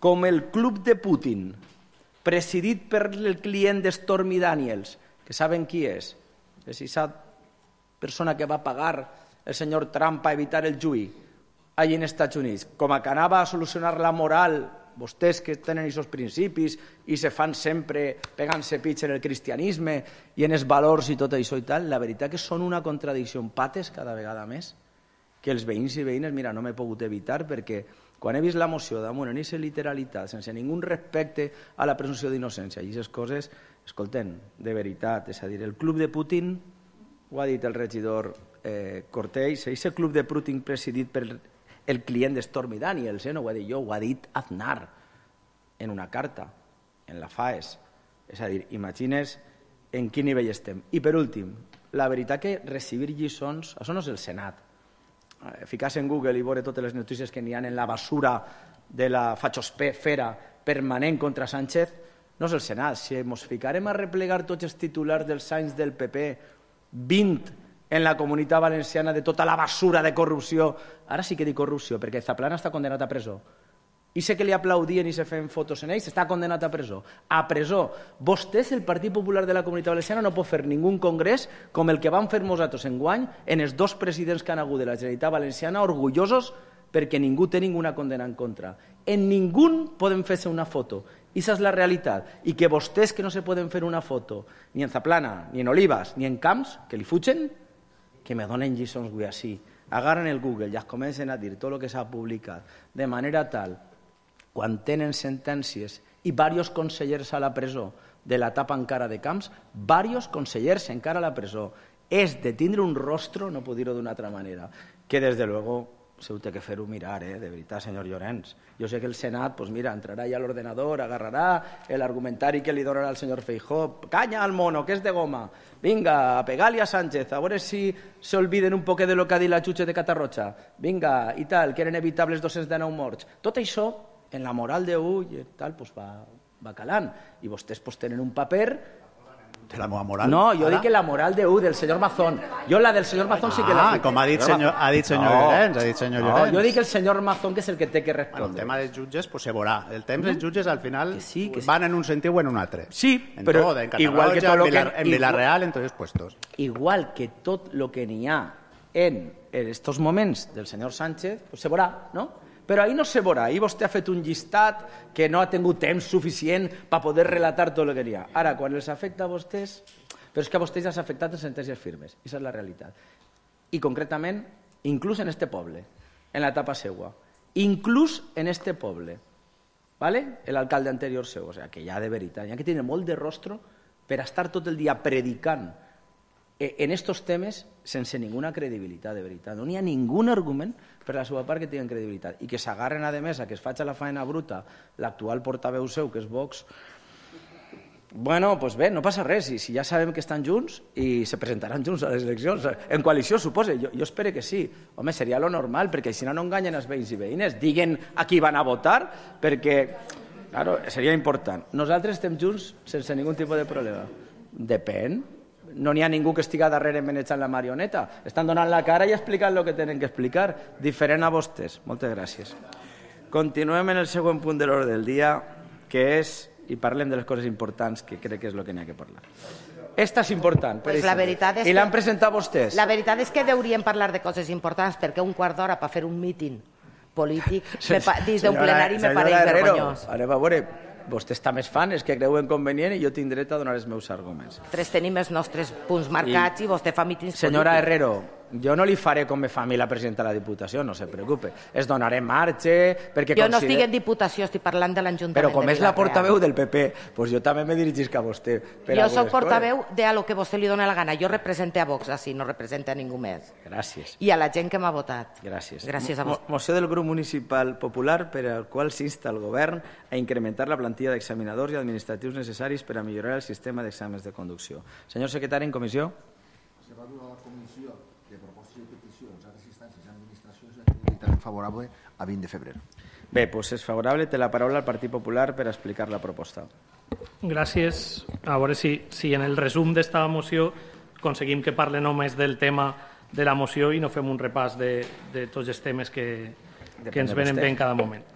com el club de Putin, presidit per el client de Stormy Daniels, que saben qui és? És aquesta persona que va pagar el senyor Trump a evitar el juí allà en Estats Units, com a que anava a solucionar la moral, vostès que tenen aquests principis i se fan sempre pegant-se pits en el cristianisme i en els valors i tot això i tal, la veritat que són una contradicció en pates cada vegada més, que els veïns i veïnes, mira, no m'he pogut evitar perquè quan he vist la moció damunt en aquesta literalitat, sense ningú respecte a la presumpció d'innocència i aquestes coses, escolten, de veritat, és a dir, el club de Putin, ho ha dit el regidor Cortells, aquest club de Putin presidit per el client de Stormy Daniels, no ho he dit jo, ho ha dit Aznar en una carta, en la FAES. És a dir, imagines en quin nivell estem. I per últim, la veritat que recibir lliçons, això no és el Senat. Ficar-se en Google i veure totes les notícies que n'hi ha en la basura de la fachosfera permanent contra Sánchez, no és el Senat. Si ens ficarem a replegar tots els titulars dels anys del PP, 20 en la Comunitat Valenciana de tota la basura de corrupció, ara sí que dic corrupció, perquè Zaplana està condenat a presó. I sé que li aplaudien i se feien fotos en ells, està condenat a presó. A presó. Vostès, el Partit Popular de la Comunitat Valenciana, no pot fer ningú congrés com el que van fer nosaltres enguany en els dos presidents que han hagut de la Generalitat Valenciana, orgullosos perquè ningú té ninguna condena en contra. En ningú poden fer-se una foto. Esa és la realitat. I que vostès que no se poden fer una foto ni en Zaplana, ni en Olivas, ni en Camps, que li fugen, que me donen lliçons avui així. Agarren el Google i es comencen a dir tot el que s'ha publicat de manera tal quan tenen sentències i diversos consellers a la presó de l'etapa encara de Camps, diversos consellers encara a la presó, és de tindre un rostro, no puc dir-ho d'una altra manera, que des de luego se ho té que fer-ho mirar, de veritat, senyor Llorenç. Jo sé que el Senat, pues mira, entrarà ja a l'ordenador, agarrarà l'argumentari que li donarà el senyor Feijóo, canya al mono, que és de goma, vinga, a pegar-li a Sánchez, a veure si se olviden un poquet de lo que ha dit la jutge de Catarroja, vinga, i tal, que eren evitables 219 morts. Tot això, en la moral d'u i tal, pues va calant. I vostès pues, tenen un paper... De la meva moral? No, jo dic que la moral del senyor Mazón. Jo la del senyor Mazón sí que la... Com ha dit senyor Llorenç. Jo dic el senyor Mazón que és el que té que respondre. El tema dels jutges pues, se veurà. El temps dels jutges al final van en un sentit o en un altre. Sí, però igual que tot lo que... En Vilareal, en tots els puestos. Igual que tot el que n'hi ha en estos moments del senyor Sánchez, pues se veurà, no? Però ahir no se veurà, ahir vostè ha fet un llistat que no ha tingut temps suficient per poder relatar tot el que n'hi ha. Ara, quan els afecta a vostès, però és que a vostès ja s'ha afectat en sentències firmes, i aquesta és la realitat. I concretament, inclús en este poble, en l'etapa seua, inclús en este poble, ¿vale? L'alcalde anterior seu, o sea, que ja de veritat, hi ha que tenir molt de rostro per estar tot el dia predicant en estos temes sense ninguna credibilitat, de veritat. No hi ha ningun argument per la seva part que tinguin credibilitat. I que s'agarren, a més, a que es faci la faena bruta l'actual portaveu seu, que és Vox. Bueno, doncs bé, no passa res. Si ja sabem que estan junts i se presentaran junts a les eleccions. En coalició, suposa. Jo espero que sí. Home, seria lo normal, perquè si no enganyen els veïns i veïnes. Diguen a qui van a votar, perquè, claro, seria important. Nosaltres estem junts sense ningun tipus de problema. Depèn. No n'hi ha ningú que estigui darrere manejant la marioneta. Estan donant la cara i explicant el que tenen que explicar. Diferent a vostès. Moltes gràcies. Continuem en el següent punt de l'ordre del dia, que és, i parlem de les coses importants, que crec que és el que n'hi ha que parlar. Esta és important. Pues la veritat és I l'han presentat vostès. La veritat és que hauríem parlar de coses importants, perquè un quart d'hora per fer un míting polític dins d'un plenari me pareix vergonyós. Anem a veure, vostès també es fan, és que creuen convenient i jo tinc dret a donar els meus arguments. Tenim els nostres punts marcats i vostè fa mítings polítics. Senyora Herrero, jo no li faré com me fa a mi la presidenta de la Diputació, no se preocupe. Es donaré marge perquè jo no estic en Diputació, estic parlant de l'Ajuntament de Vilareal. Però com és la portaveu del PP, doncs jo també me dirigisc a vostè. Jo soc portaveu de lo que vostè li dona la gana. Jo represento a Vox, així, no represento a ningú més. Gràcies. I a la gent que m'ha votat. Gràcies. Gràcies a vostè. Moció del grup municipal popular per al qual s'insta el govern a incrementar la plantilla d'examinadors i administratius necessaris per a millorar el sistema d'exàmens de conducció. Senyor secretari, en comissió. Se va dur a la comissió de proposició i peticions a les instàncies i administracions favorable a 20 de febrer. Bé, doncs és favorable. Té la paraula el Partit Popular per explicar la proposta. Gràcies. A veure si en el resum d'esta moció aconseguim que parle només del tema de la moció i no fem un repàs de tots els temes que ens venen bé en cada moment.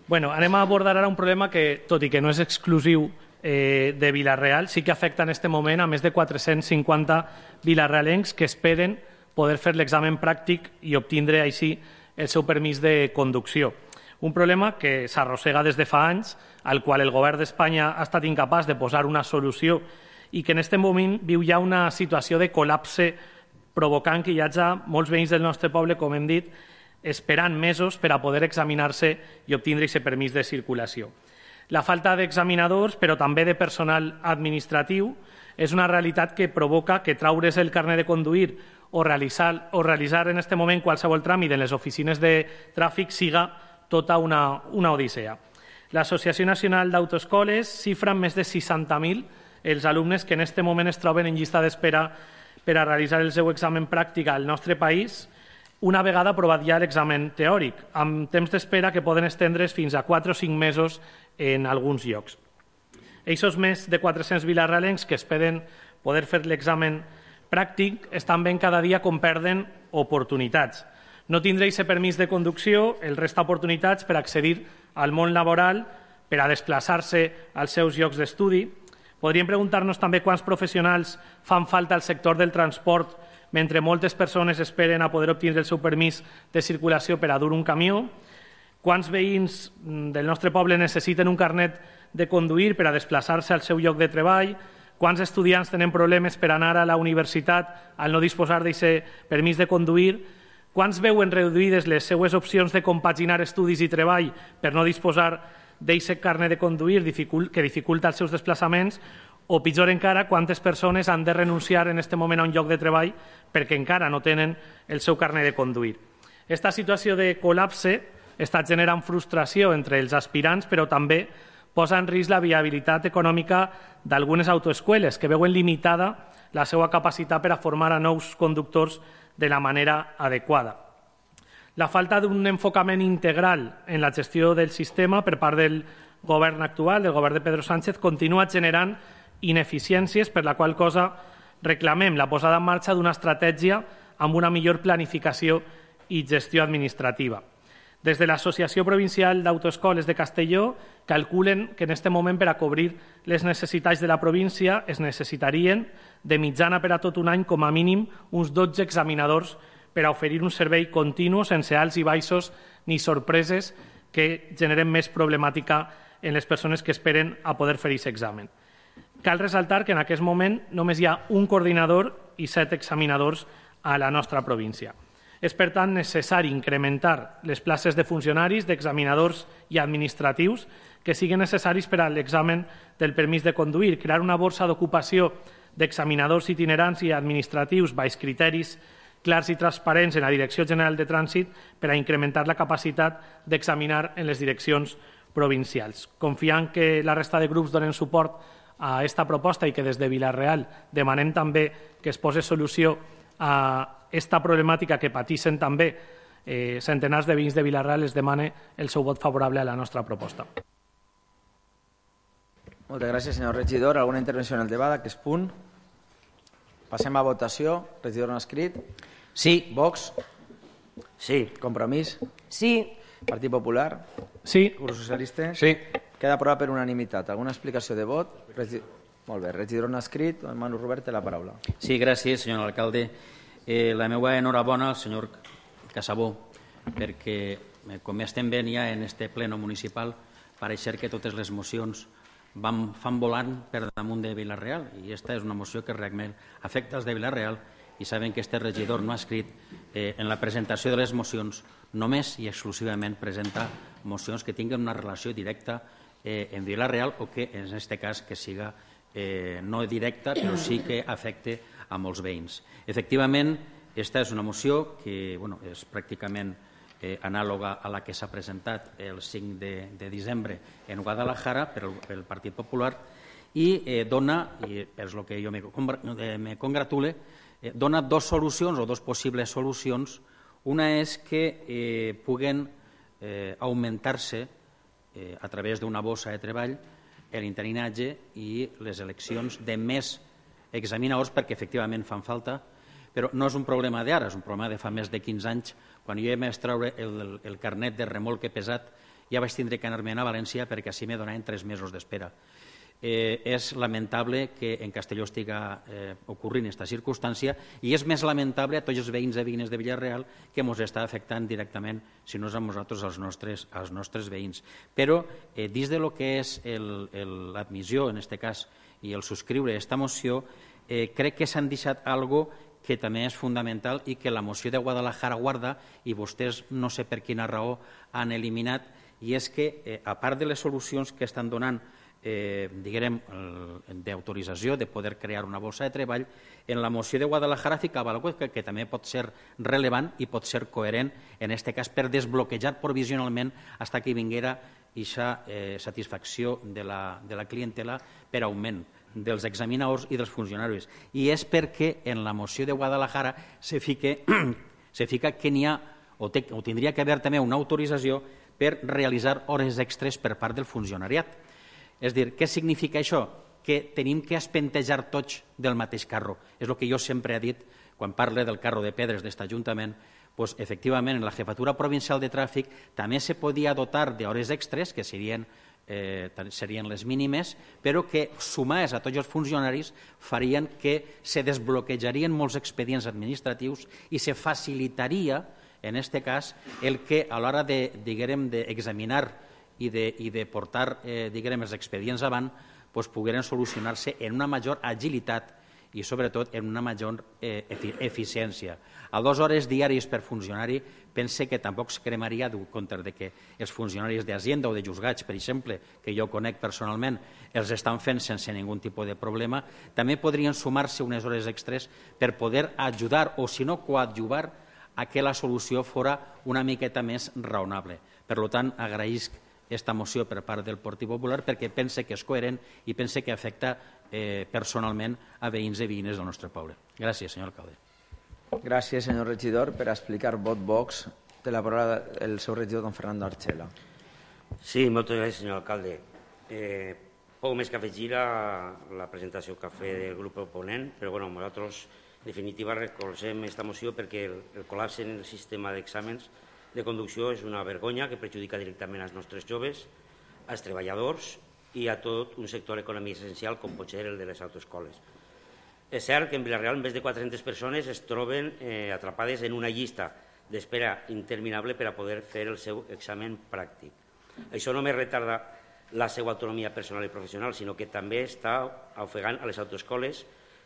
Bueno, anem a abordar ara un problema que, tot i que no és exclusiu de Vila-real, sí que afecta en aquest moment a més de 450 vilarealencs que esperen poder fer l'examen pràctic i obtindre així el seu permís de conducció. Un problema que s'arrossega des de fa anys, al qual el govern d'Espanya ha estat incapaç de posar una solució i que en aquest moment viu ja una situació de col·lapse provocant que hi hagi molts veïns del nostre poble, com hem dit, esperant mesos per a poder examinar-se i obtindre aquest permís de circulació. La falta d'examinadors, però també de personal administratiu, és una realitat que provoca que traure's el carnet de conduir o realitzar en aquest moment qualsevol tràmit en les oficines de tràfic siga tota una odissea. L'Associació Nacional d'Autoescoles xifra en més de 60.000 els alumnes que en aquest moment es troben en llista d'espera per a realitzar el seu examen pràctic al nostre país, una vegada aprovat ja l'examen teòric, amb temps d'espera que poden estendre's fins a 4 o 5 mesos en alguns llocs. Eixos més de 400 vilarealencs que esperen poder fer l'examen pràctic estan veient cada dia com perden oportunitats. No tindre aquest permís de conducció els resta oportunitats per accedir al món laboral, per a desplaçar-se als seus llocs d'estudi. Podríem preguntar-nos també quants professionals fan falta al sector del transport mentre moltes persones esperen a poder obtenir el seu permís de circulació per a dur un camió. Quants veïns del nostre poble necessiten un carnet de conduir per a desplaçar-se al seu lloc de treball? Quants estudiants tenen problemes per anar a la universitat al no disposar d'aquest permís de conduir? Quants veuen reduïdes les seues opcions de compaginar estudis i treball per no disposar d'aquest carnet de conduir que dificulta els seus desplaçaments? O pitjor encara, quantes persones han de renunciar en aquest moment a un lloc de treball perquè encara no tenen el seu carnet de conduir. Aquesta situació de col·lapse està generant frustració entre els aspirants, però també posa en risc la viabilitat econòmica d'algunes autoescoles que veuen limitada la seva capacitat per a formar a nous conductors de la manera adequada. La falta d'un enfocament integral en la gestió del sistema per part del govern actual, del govern de Pedro Sánchez, continua generant ineficiències, per la qual cosa reclamem la posada en marxa d'una estratègia amb una millor planificació i gestió administrativa. Des de l'Associació Provincial d'Autoescoles de Castelló calculen que en aquest moment per a cobrir les necessitats de la província es necessitarien de mitjana per a tot un any com a mínim uns 12 examinadors per a oferir un servei continu sense alts i baixos ni sorpreses que generen més problemàtica en les persones que esperen a poder fer aquest examen. Cal ressaltar que en aquest moment només hi ha un coordinador i 7 examinadors a la nostra província. És, per tant, necessari incrementar les places de funcionaris, d'examinadors i administratius que siguin necessaris per a l'examen del permís de conduir, crear una borsa d'ocupació d'examinadors itinerants i administratius baix criteris clars i transparents en la Direcció General de Trànsit per a incrementar la capacitat d'examinar en les direccions provincials. Confiant que la resta de grups donen suport a aquesta proposta i que des de Vila-real demanem també que es posi solució a aquesta problemàtica que pateixen també centenars de veïns de Vila-real, es demana el seu vot favorable a la nostra proposta. Moltes gràcies, senyor regidor. Alguna intervenció en el debat d'aquest punt? Passem a votació. Regidor no escrit. Sí. Vox. Sí. Compromís. Sí. Partit Popular. Sí. Grup Socialista. Sí. Queda aprovat per unanimitat. Alguna explicació de vot? Molt bé. Regidor no escrit. Manu Robert té la paraula. Sí, gràcies, senyor alcalde. La meva enhorabona al senyor Casabó, perquè, com estem veient ja en este pleno municipal, pareix ser que totes les mocions fan volant per damunt de Vila-real, i aquesta és una moció que realment afecta els de Vila-real, i saben que este regidor no ha escrit en la presentació de les mocions, només i exclusivament presenta mocions que tinguen una relació directa en Vila-real o que, en aquest cas, que siga no directa, però sí que afecte a molts veïns. Efectivament, aquesta és una moció que és pràcticament anàloga a la que s'ha presentat el 5 de desembre en Guadalajara pel Partit Popular i dona, i és el que jo me congratule, dona dues solucions o dues possibles solucions. Una és que puguen augmentar-se a través d'una bossa de treball l'interinatge i les eleccions de més examinadors, perquè efectivament fan falta, però no és un problema d'ara, és un problema de fa més de 15 anys. Quan jo vaig treure el carnet de remolque pesat ja vaig tindre que anar-me'n a València perquè així me donaven 3 mesos d'espera. És lamentable que en Castelló estiga ocorrint aquesta circumstància i és més lamentable a tots els veïns i veïnes de Vila-real que ens està afectant directament, si no és a nosaltres, als nostres veïns. Però dins de lo que és l'admissió, en aquest cas, i el subscriure aquesta moció, crec que s'han deixat algo que també és fundamental i que la moció de Guadalajara guarda i vostès no sé per quina raó han eliminat, i és que a part de les solucions que estan donant diguem, d'autorització de poder crear una bossa de treball, en la moció de Guadalajara ficava alguna cosa que també pot ser relevant i pot ser coherent, en aquest cas per desbloquejar provisionalment fins que vinguera aquesta satisfacció de la clientela per augment dels examinadors i dels funcionaris. I és perquè en la moció de Guadalajara se fica que n'hi ha o tindria que haver també una autorització per realitzar hores extres per part del funcionariat. És a dir, què significa això? Que tenim que espentejar tots del mateix carro. És el que jo sempre he dit quan parle del carro de pedres d'aquest Ajuntament. Doncs, efectivament, en la Jefatura Provincial de Tràfic també se podia dotar d'hores extres, que serien les mínimes, però que sumades a tots els funcionaris farien que se desbloquejarien molts expedients administratius i se facilitaria, en aquest cas, el que a l'hora d'examinar i de portar els expedients avant pogueren solucionar-se en una major agilitat i sobretot en una major eficiència. A 2 hores diàries per funcionari pense que tampoc es cremaria dur compte que els funcionaris d'Hacienda o de Juzgats, per exemple, que jo conec personalment, els estan fent sense ningú tipus de problema. També podrien sumar-se unes hores extres per poder ajudar o, si no, coadjuvar a que la solució fora una miqueta més raonable. Per tant, agraïsc aquesta moció per part del Partit Popular perquè pense que és coherent i pense que afecta personalment a veïns i veïnes del nostre poble. Gràcies, senyor alcalde. Gràcies, senyor regidor. Per explicar vot Vox, té la paraula el seu regidor, don Fernando Archela. Sí, moltes gràcies, senyor alcalde. Poc més que afegir la presentació que ha fet del grup proponent, però nosaltres, en definitiva, recolzem aquesta moció perquè el col·lapse en el sistema d'exàmens de conducció és una vergonya que perjudica directament als nostres joves, als treballadors i a tot un sector econòmic essencial com pot ser el de les autoescoles. És cert que en Vila-real més de 400 persones es troben atrapades en una llista d'espera interminable per a poder fer el seu examen pràctic. Això no només retarda la seva autonomia personal i professional, sinó que també està ofegant a les autoescoles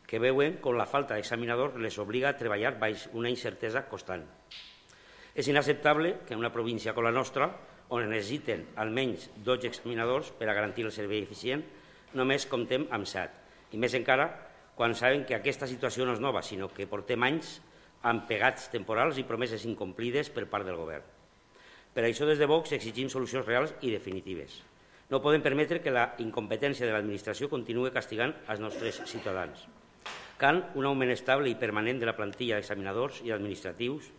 que veuen com la falta d'examinadors les obliga a treballar baix una incertesa constant. És inacceptable que en una província com la nostra, on necessiten almenys 12 examinadors per a garantir el servei eficient, només comptem amb 7. I més encara quan saben que aquesta situació no és nova, sinó que portem anys amb pegats temporals i promeses incomplides per part del govern. Per això, des de Vox, exigim solucions reals i definitives. No podem permetre que la incompetència de l'administració continuï castigant els nostres ciutadans. Cal un augment estable i permanent de la plantilla d'examinadors i administratius,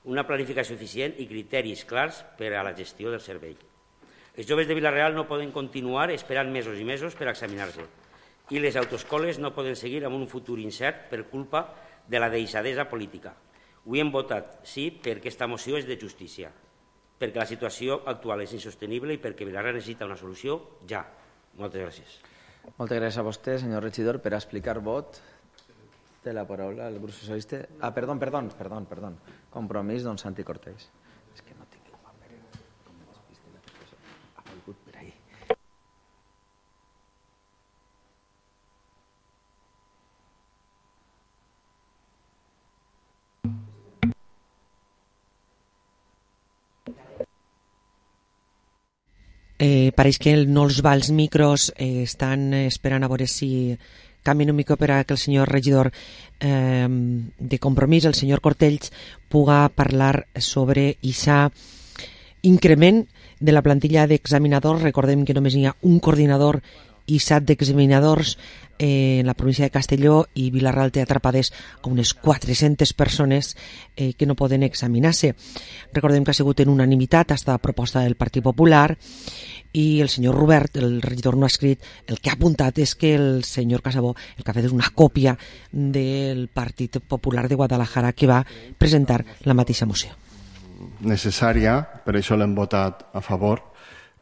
una planificació eficient i criteris clars per a la gestió del servei. Els joves de Vila-real no poden continuar esperant mesos i mesos per examinar-se i les autoescoles no poden seguir amb un futur incert per culpa de la deixadesa política. Avui hem votat sí perquè aquesta moció és de justícia, perquè la situació actual és insostenible i perquè Vila-real necessita una solució ja. Moltes gràcies. Moltes gràcies a vostè, senyor regidor. Per explicar vot, té la paraula el grup socialista. Perdó. Compromís, don Santi Cortés. És que no tinc el paper. Ha volgut per ahí. Pareix que no els va els micros, estan esperant a veure si canvien un mica per a que el senyor regidor de Compromís, el senyor Cortells, puga parlar sobre aquest increment de la plantilla d'examinadors. Recordem que només hi ha un coordinador i 7 d'examinadors en la província de Castelló, i Vila-real té atrapades a unes 400 persones que no poden examinar-se. Recordem que ha sigut en unanimitat aquesta proposta del Partit Popular, i el senyor Robert, el regidor, no ha escrit. El que ha apuntat és que el senyor Casabó el que ha fet és una còpia del Partit Popular de Guadalajara, que va presentar la mateixa moció. Necessària, per això l'hem votat a favor,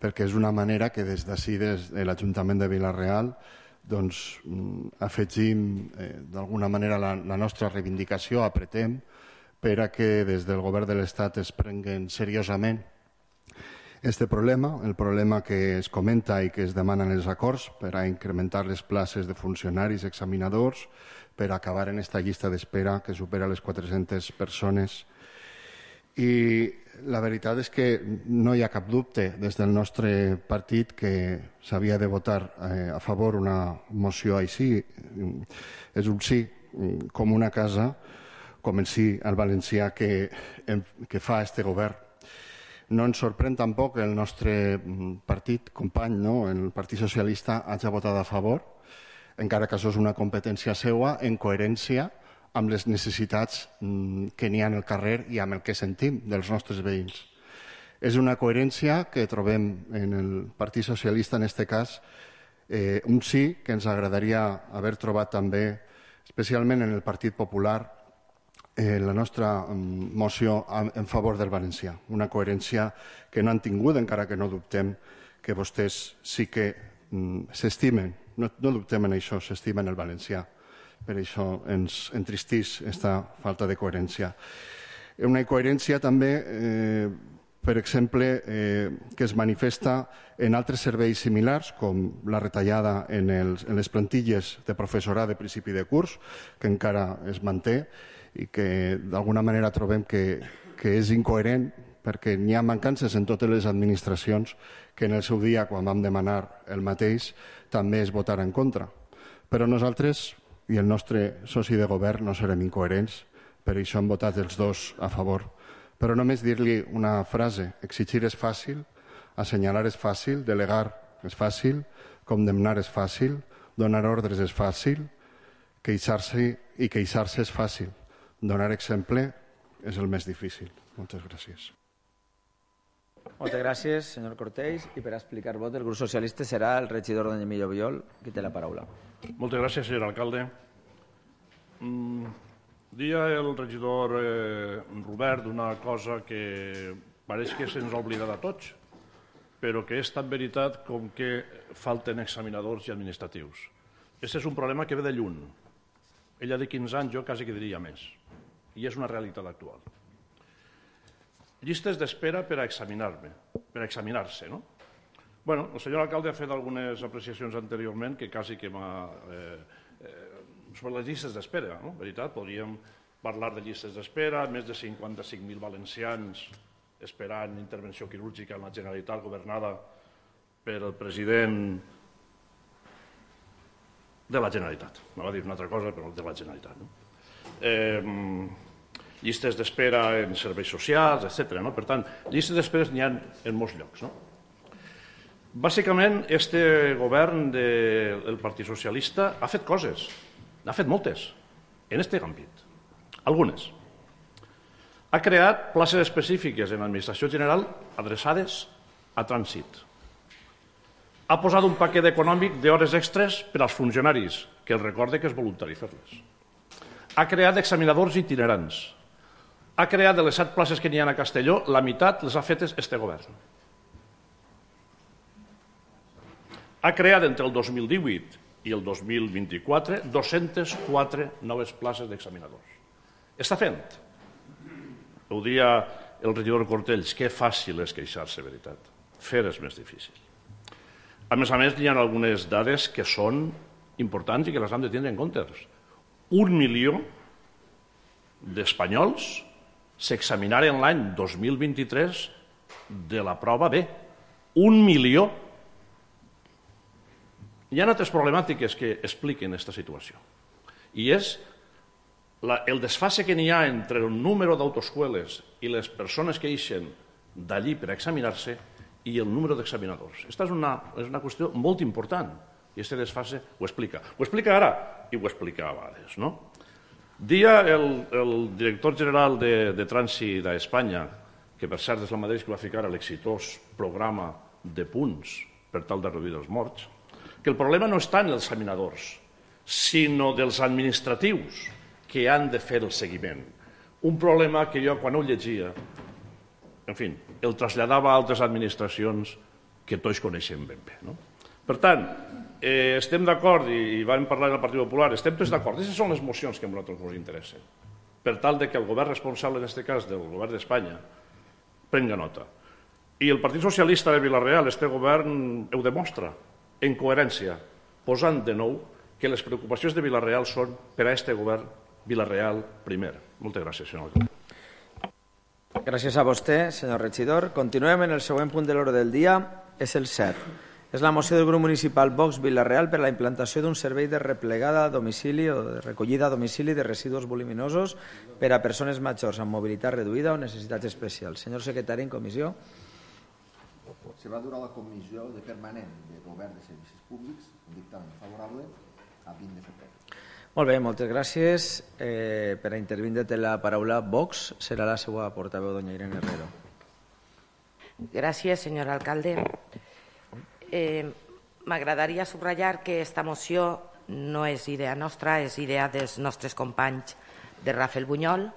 perquè és una manera que des d'ací, des de l'Ajuntament de Vila-real, doncs afegim d'alguna manera la nostra reivindicació, apretem per a que des del govern de l'Estat es prenguen seriosament este problema, el problema que es comenta i que es demanen els acords per a incrementar les places de funcionaris, examinadors, per a acabar en esta llista d'espera que supera les 400 persones. I la veritat és que no hi ha cap dubte des del nostre partit que s'havia de votar a favor una moció així. És un sí com una casa, com el sí al valencià que fa este govern. No ens sorprèn tampoc que el nostre partit company, el Partit Socialista, hagi votat a favor, encara que això és una competència seva, en coherència amb les necessitats que n'hi ha al carrer i amb el que sentim dels nostres veïns. És una coherència que trobem en el Partit Socialista, en aquest cas, un sí que ens agradaria haver trobat també, especialment en el Partit Popular, la nostra moció en favor del valencià. Una coherència que no han tingut, encara que no dubtem que vostès sí que s'estimen, no dubtem en això, s'estimen el valencià. Per això ens entristís aquesta falta de coherència. Una incoherència també per exemple, que es manifesta en altres serveis similars, com la retallada en les plantilles de professorat de principi de curs, que encara es manté i que d'alguna manera trobem que és incoherent perquè n'hi ha mancances en totes les administracions que en el seu dia, quan vam demanar el mateix, també es votarà en contra. Però nosaltres i el nostre soci de govern no serem incoherents, per això hem votat els dos a favor. Però només dir-li una frase: exigir és fàcil, assenyalar és fàcil, delegar és fàcil, condemnar és fàcil, donar ordres és fàcil, queixar-se és fàcil. Donar exemple és el més difícil. Moltes gràcies. Moltes gràcies, senyor Cortells. I per explicar el vot del grup socialista serà el regidor don Emilio Biol, qui té la paraula. Moltes gràcies, senyor alcalde. Dia el regidor Robert una cosa que pareix que se'ns ha oblidat a tots, però que és tan veritat com que falten examinadors i administratius. Aquest és un problema que ve de lluny. Ella de 15 anys, jo quasi que diria més. I és una realitat actual. Llistes d'espera per a examinar-se, no? Bueno, el senyor alcalde ha fet algunes apreciacions anteriorment que quasi que m'ha... sobre les llistes d'espera, no? Veritat, podríem parlar de llistes d'espera, més de 55.000 valencians esperant intervenció quirúrgica en la Generalitat governada per el president de la Generalitat. M'ha dit una altra cosa, però de la Generalitat, no? Llistes d'espera en serveis socials, etc. No? Per tant, llistes d'espera n'hi ha en molts llocs. No? Bàsicament, este govern del Partit Socialista ha fet coses, n'ha fet moltes, en aquest àmbit. Algunes. Ha creat places específiques en l'administració general adreçades a trànsit. Ha posat un paquet econòmic d'hores extres per als funcionaris, que els recorde que és voluntari fer-les. Ha creat examinadors itinerants. Ha creat de les 7 places que n'hi ha a Castelló, la meitat les ha fetes este govern. Ha creat entre el 2018 i el 2024 204 noves places d'examinadors. Està fent. Ho dia el regidor Cortells, que fàcil és queixar-se, veritat. Fer és més difícil. A més, hi ha algunes dades que són importants i que les hem de tindre en compte. 1 milió d'espanyols s'examinaren l'any 2023 de la prova B. 1 milió. Hi ha altres problemàtiques que expliquen aquesta situació. I és el desfase que n'hi ha entre el número d'autoescoles i les persones que eixen d'allí per examinar-se i el número d'examinadors. Aquesta és una qüestió molt important i aquest desfase ho explica. Ho explica ara i ho explica abans, no? Dia el director general de Trànsit d'Espanya, que per cert és el mateix que va ficar a l'exitós programa de punts per tal de reduir els morts, que el problema no està en els examinadors, sinó dels administratius que han de fer el seguiment. Un problema que jo, quan ho llegia, en fi, el traslladava a altres administracions que tots coneixem ben bé. No? Per tant, estem d'acord, i vam parlar en el Partit Popular, estem tots d'acord. Aquestes són les mocions que a nosaltres ens interessen, per tal que el govern responsable, en aquest cas del govern d'Espanya, prenga nota. I el Partit Socialista de Vila-real, este govern, ho demostra, en coherència, posant de nou que les preocupacions de Vila-real són per a este govern Vila-real primer. Moltes gràcies, senyor alcalde. Gràcies a vostè, senyor regidor. Continuem en el següent punt de l'ordre del dia, és el 7. És la moció del grup municipal Vox Vila-real per a la implantació d'un servei de replegada a domicili o de recollida a domicili de residus voluminosos per a persones majors amb mobilitat reduïda o necessitats especials. Senyor secretari, en comissió. Se va dur a la comissió de permanent de govern de servicis públics un dictamen favorable a 20 de febrer. Molt bé, moltes gràcies. Per a intervindre té la paraula Vox. Serà la seva portaveu, doña Irene Herrero. Gràcies, senyor alcalde. M'agradaria subratllar que aquesta moció no és idea nostra, és idea dels nostres companys de Rafael Bunyol,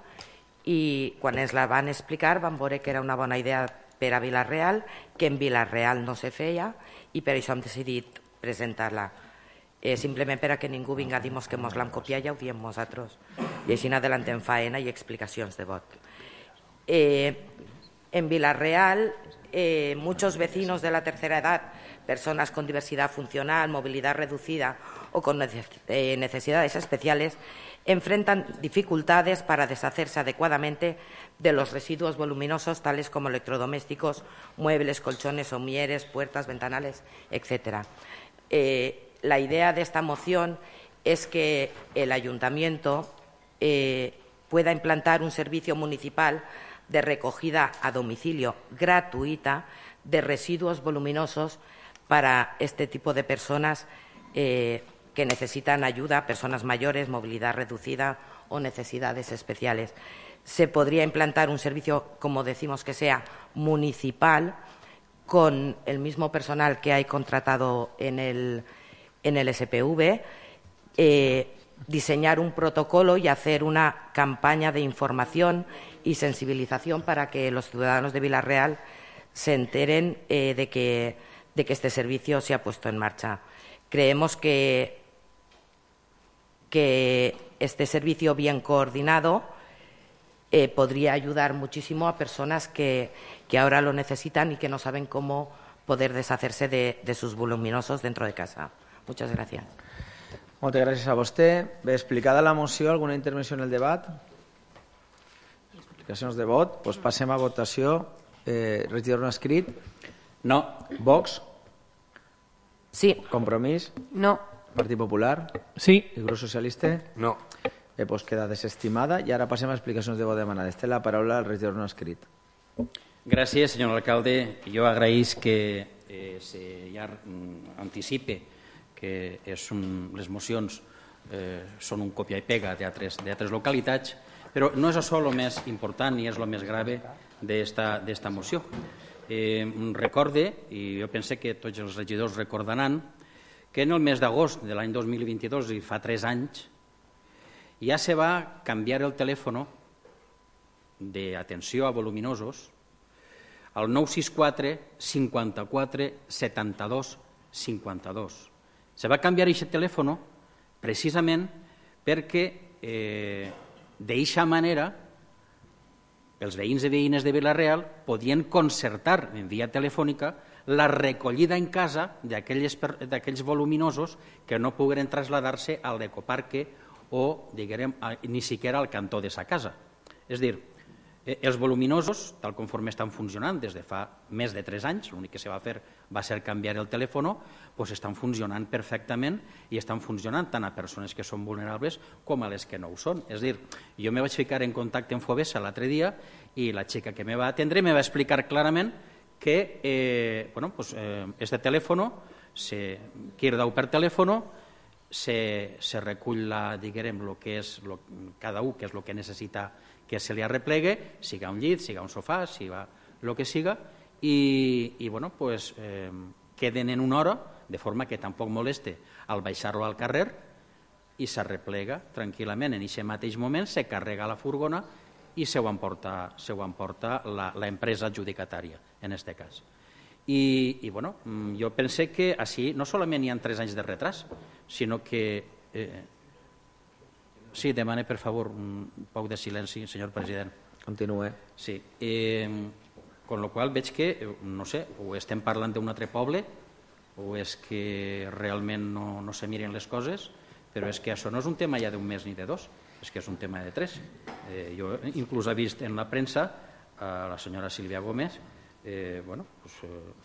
i quan ens la van explicar van veure que era una bona idea per a Vila-real, que en Vila-real no se feia, i per això hem decidit presentar-la. Simplement per a que ningú vinga a dir-nos que ens l'hem copiat, ja ho diem nosaltres. I així n'adelantem faena i explicacions de vot. En Vila-real, muchos vecinos de la tercera edad, personas con diversidad funcional, movilidad reducida o con necesidades especiales, enfrentan dificultades para deshacerse adecuadamente de los residuos voluminosos tales como electrodomésticos, muebles, colchones, somieres, puertas, ventanales, etc. La idea de esta moción es que el ayuntamiento pueda implantar un servicio municipal de recogida a domicilio gratuita de residuos voluminosos para este tipo de personas que necesitan ayuda, personas mayores, movilidad reducida o necesidades especiales. Se podría implantar un servicio, como decimos, que sea municipal, con el mismo personal que hay contratado en el SPV, diseñar un protocolo y hacer una campaña de información y sensibilización para que los ciudadanos de Vila-real se enteren de que este servicio se ha puesto en marcha. Creemos que este servicio bien coordinado podría ayudar muchísimo a personas que ahora lo necesitan y que no saben cómo poder deshacerse de sus voluminosos dentro de casa. Muchas gracias. Moltes gràcies a vostè. Bé, explicada la moció, alguna intervenció en el debat? Explicacions de vot. Doncs passem a votació. Regidor no escrit? No. Vox? Sí. Compromís? No. Partit Popular? Sí. El grup socialista? No. Doncs queda desestimada. I ara passem a explicacions de vot demanades. Té la paraula el regidor no escrit. Gràcies, senyor alcalde. Jo agraïs que ja anticipe que les mocions són un copia i pega d'altres localitats, però no és això el més important ni és el més grave d'esta moció. Recorde, i jo pense que tots els regidors recordaran, que en el mes d'agost de l'any 2022, i fa 3 anys, ja se va canviar el telèfon d'atenció a voluminosos al 964 54 72 52. Se va canviar aquest telèfon precisament perquè d'eixa manera els veïns i veïnes de Vila-real podien concertar en via telefònica la recollida en casa d'aquells voluminosos que no pogueren traslladar-se al ecoparque o, diguem, ni siquiera al cantó de sa casa. És a dir, els voluminosos, tal conforme estan funcionant des de fa més de 3 anys, l'únic que se va fer va ser canviar el telèfon, doncs estan funcionant perfectament i estan funcionant tant a persones que són vulnerables com a les que no ho són. És a dir, jo me vaig ficar en contacte amb Fovesa l'altre dia i la xica que me va atendre me va explicar clarament que este telèfon, qui deu per telèfon, se recull el que és cada un, que és el que necessita que se li arreplegue, siga un llit, siga un sofà, siga el que siga, i queden en una hora, de forma que tampoc moleste al baixar-lo al carrer, i s'arreplega tranquil·lament. En aquest mateix moment se carrega la furgona i se ho emporta l'empresa adjudicatària, en aquest cas. I jo pense que així no solament hi ha 3 anys de retras, sinó que... Sí, demane, per favor, un poc de silenci, senyor president. Continue. Sí. Con lo qual veig que, no sé, o estem parlant d'un altre poble o és que realment no se miren les coses, però és que això no és un tema ja d'un mes ni de 2, és que és un tema de 3. Jo inclús he vist en la premsa la senyora Sílvia Gómez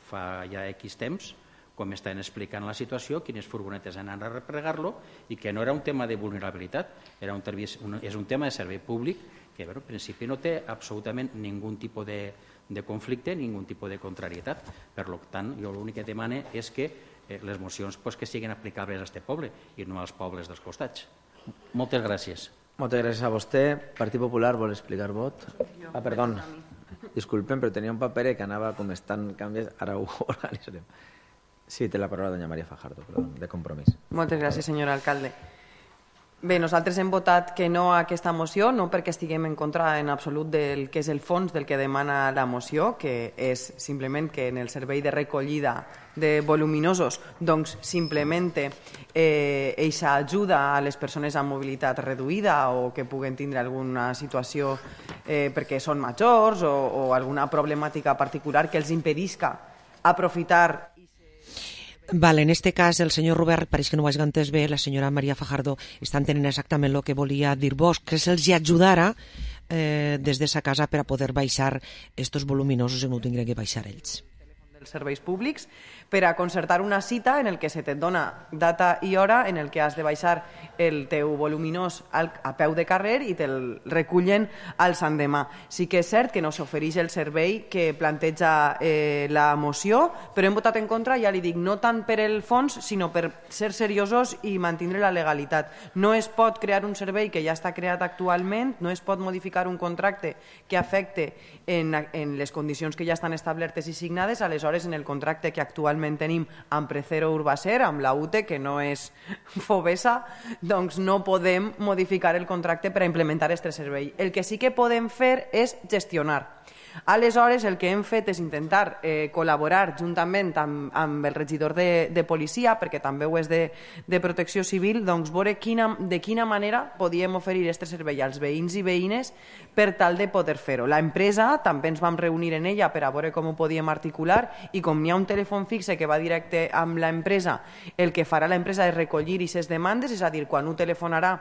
fa ja X temps com estan explicant la situació, quines furgonetes han anat a replegar-lo i que no era un tema de vulnerabilitat, és un tema de servei públic que en principi no té absolutament ningú tipus de conflicte, ningú tipus de contrarietat. Per tant, jo l'únic que demane és que les mocions que siguin aplicables a aquest poble i no als pobles dels costats. Moltes gràcies. Moltes gràcies a vostè. Partit Popular vol explicar vot? Perdó. Disculpen, però tenia un paper que anava com estan canvis, ara ho organitzarem. Sí, té la paraula doña María Fajardo, de Compromís. Moltes gràcies, senyor alcalde. Bé, nosaltres hem votat que no a aquesta moció, no perquè estiguem en contra en absolut del que és el fons del que demana la moció, que és simplement que en el servei de recollida de voluminosos doncs s'implemente eixa ajuda a les persones amb mobilitat reduïda o que puguen tindre alguna situació perquè són majors o alguna problemàtica particular que els impedisca aprofitar. Vale, en este cas el senyor Robert pareix que no ho hagi entès bé, la senyora Maria Fajardo està entenent exactament el que volia dir vos, que se'ls ajudara des de sa casa per a poder baixar estos voluminosos i no ho tinguin que baixar ells. Dels serveis públics per a concertar una cita en el que se te dona data i hora en el que has de baixar el teu voluminós a peu de carrer i te'l recullen al sant demà. Sí que és cert que no s'ofereix el servei que planteja la moció, però hem votat en contra, ja li dic, no tant per el fons, sinó per ser seriosos i mantindre la legalitat. No es pot crear un servei que ja està creat actualment, no es pot modificar un contracte que afecte en les condicions que ja estan establertes i signades, aleshores en el contracte que actualment tenim amb Precero Urbacer, amb la UTE, que no és Fovesa, doncs no podem modificar el contracte per a implementar aquest servei. El que sí que podem fer és gestionar. Aleshores, el que hem fet és intentar col·laborar juntament amb el regidor de policia, perquè també ho és de protecció civil, doncs veure de quina manera podíem oferir aquest servei als veïns i veïnes per tal de poder fer-ho. L'empresa, també ens vam reunir en ella per a veure com ho podíem articular i com n'hi ha un telèfon fixe que va directe amb l'empresa, el que farà l'empresa és recollir aquestes demandes, és a dir, quan ho telefonarà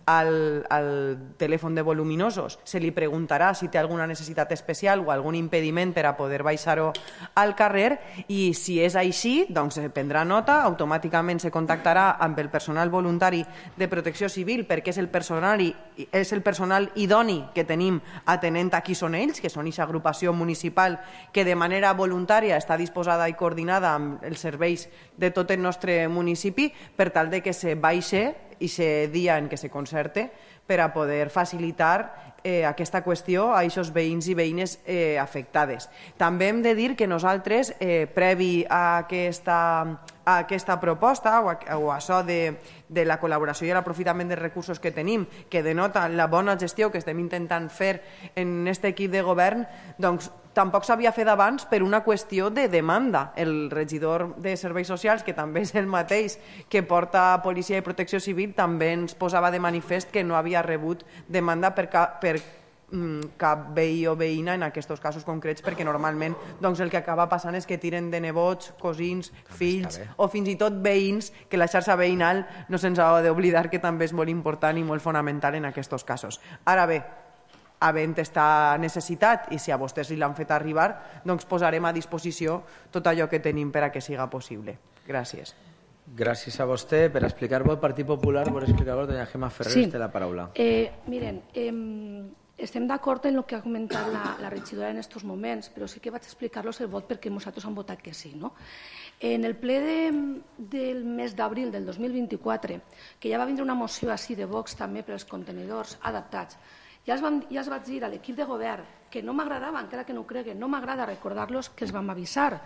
al telèfon de voluminosos se li preguntarà si té alguna necessitat especial o algun impediment per a poder baixar-ho al carrer i si és així, doncs se prendrà nota, automàticament se contactarà amb el personal voluntari de protecció civil perquè és el personal idoni que tenim atenent a qui són ells, que són aquesta agrupació municipal que de manera voluntària està disposada i coordinada amb els serveis de tot el nostre municipi per tal de que se baixe i se dia en què se concerte per a poder facilitar aquesta qüestió a aquests veïns i veïnes afectades. També hem de dir que nosaltres, previ a aquesta proposta o a això de la col·laboració i l'aprofitament dels recursos que tenim, que denota la bona gestió que estem intentant fer en aquest equip de govern, doncs tampoc s'havia fet abans per una qüestió de demanda. El regidor de Serveis Socials, que també és el mateix que porta Policia i Protecció Civil, també ens posava de manifest que no havia rebut demanda per cap veí o veïna en aquests casos concrets, perquè normalment el que acaba passant és que tiren de nebots, cosins, fills o fins i tot veïns, que la xarxa veïnal no se'ns ha d'oblidar que també és molt important i molt fonamental en aquests casos. Ara bé, havent esta necessitat i si a vostès li l'han fet arribar, doncs posarem a disposició tot allò que tenim per a que siga possible. Gràcies. Gràcies a vostè. Per explicar-vos el Partit Popular, per explicar-vos, doña Gemma Ferrer, té la paraula. Miren, estem d'acord en el que ha comentat la regidora en aquests moments, però sí que vaig explicar-los el vot perquè nosaltres hem votat que sí. En el ple del mes d'abril del 2024, que ja va vindre una moció així de Vox també per als contenidors adaptats, ja els vaig dir a l'equip de govern que no m'agradava, encara que no ho creguen, no m'agrada recordar-los que els vam avisar,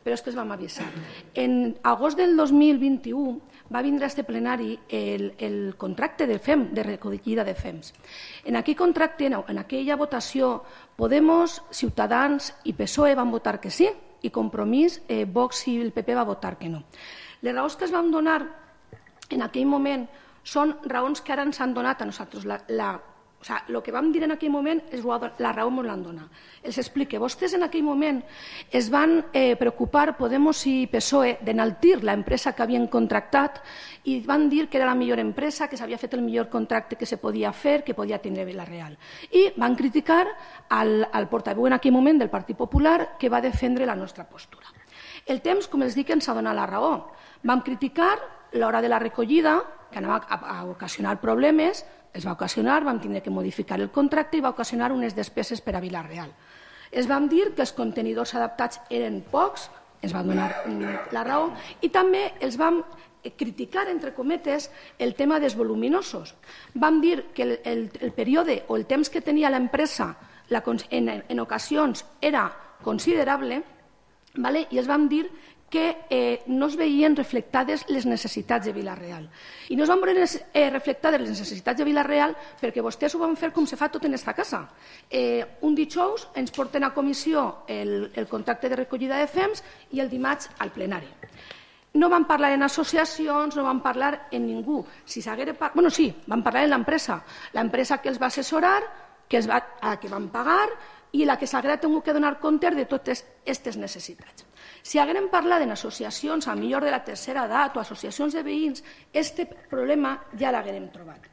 però és que els vam avisar. En agost del 2021 va vindre a este plenari el contracte de FEM, de recollida de FEMs. En aquell contracte, en aquella votació, Podemos, Ciutadans i PSOE van votar que sí i Compromís, Vox i el PP va votar que no. Les raons que es van donar en aquell moment són raons que ara ens han donat a nosaltres. El que vam dir en aquell moment és la raó ens l'han donat. Els explique. Vostès en aquell moment es van preocupar, Podemos i PSOE, d'enaltir l'empresa que havien contractat i van dir que era la millor empresa, que s'havia fet el millor contracte que se podia fer, que podia tindre Vila-real. I van criticar al portaveu en aquell moment del Partit Popular que va defendre la nostra postura. El temps, com els dic, ens ha donat la raó. Vam criticar l'hora de la recollida, que anava a ocasionar problemes, es va ocasionar, vam tenir que modificar el contracte i va ocasionar unes despeses per a Vila-real. Es vam dir que els contenidors adaptats eren pocs, ens va donar la raó, i també els vam criticar, entre cometes, el tema dels voluminosos. Vam dir que el període o el temps que tenia l'empresa en ocasions era considerable, i els vam dir que no es veien reflectades les necessitats de Vila-real. I no es van veure reflectades les necessitats de Vila-real perquè vostès ho van fer com se fa tot en aquesta casa. Un dijous ens porten a comissió el contracte de recollida de FEMs i el dimarts al plenari. No van parlar en associacions, no van parlar en ningú. Sí, van parlar en l'empresa. L'empresa que els va assessorar, que van pagar i la que s'haguera tingut que donar compte de totes aquestes necessitats. Si haguérem parlat d'associacions, a millor de la tercera edat o associacions de veïns, aquest problema ja l'haguérem trobat.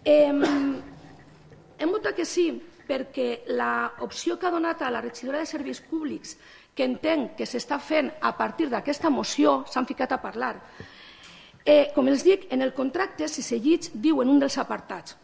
Hem votat que sí perquè l'opció que ha donat a la regidora de Serveis Públics, que entenc que s'està fent a partir d'aquesta moció, s'han ficat a parlar. Com els dic, en el contracte, si seguits, diu en un dels apartats: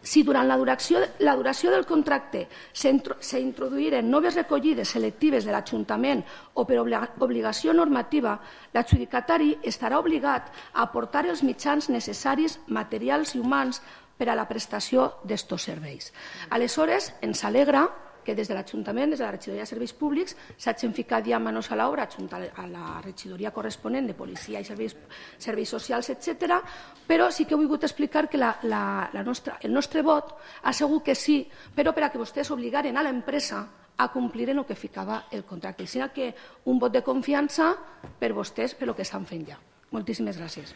si durant la duració del contracte s'introduïren noves recollides selectives de l'Ajuntament o per obligació normativa, l'adjudicatari estarà obligat a aportar els mitjans necessaris, materials i humans per a la prestació d'estos serveis. Aleshores, ens alegra que des de l'Ajuntament, des de la Regidoria de Serveis Públics, s'hagin ficat ja manos a l'obra a la regidoria corresponent de Policia i Serveis Socials, etc. Però sí que he volgut explicar que el nostre vot ha sigut que sí, però per a que vostès obligaren a l'empresa a complir en el que ficava el contracte. Així que un vot de confiança per vostès per el que estan fent ja. Moltíssimes gràcies.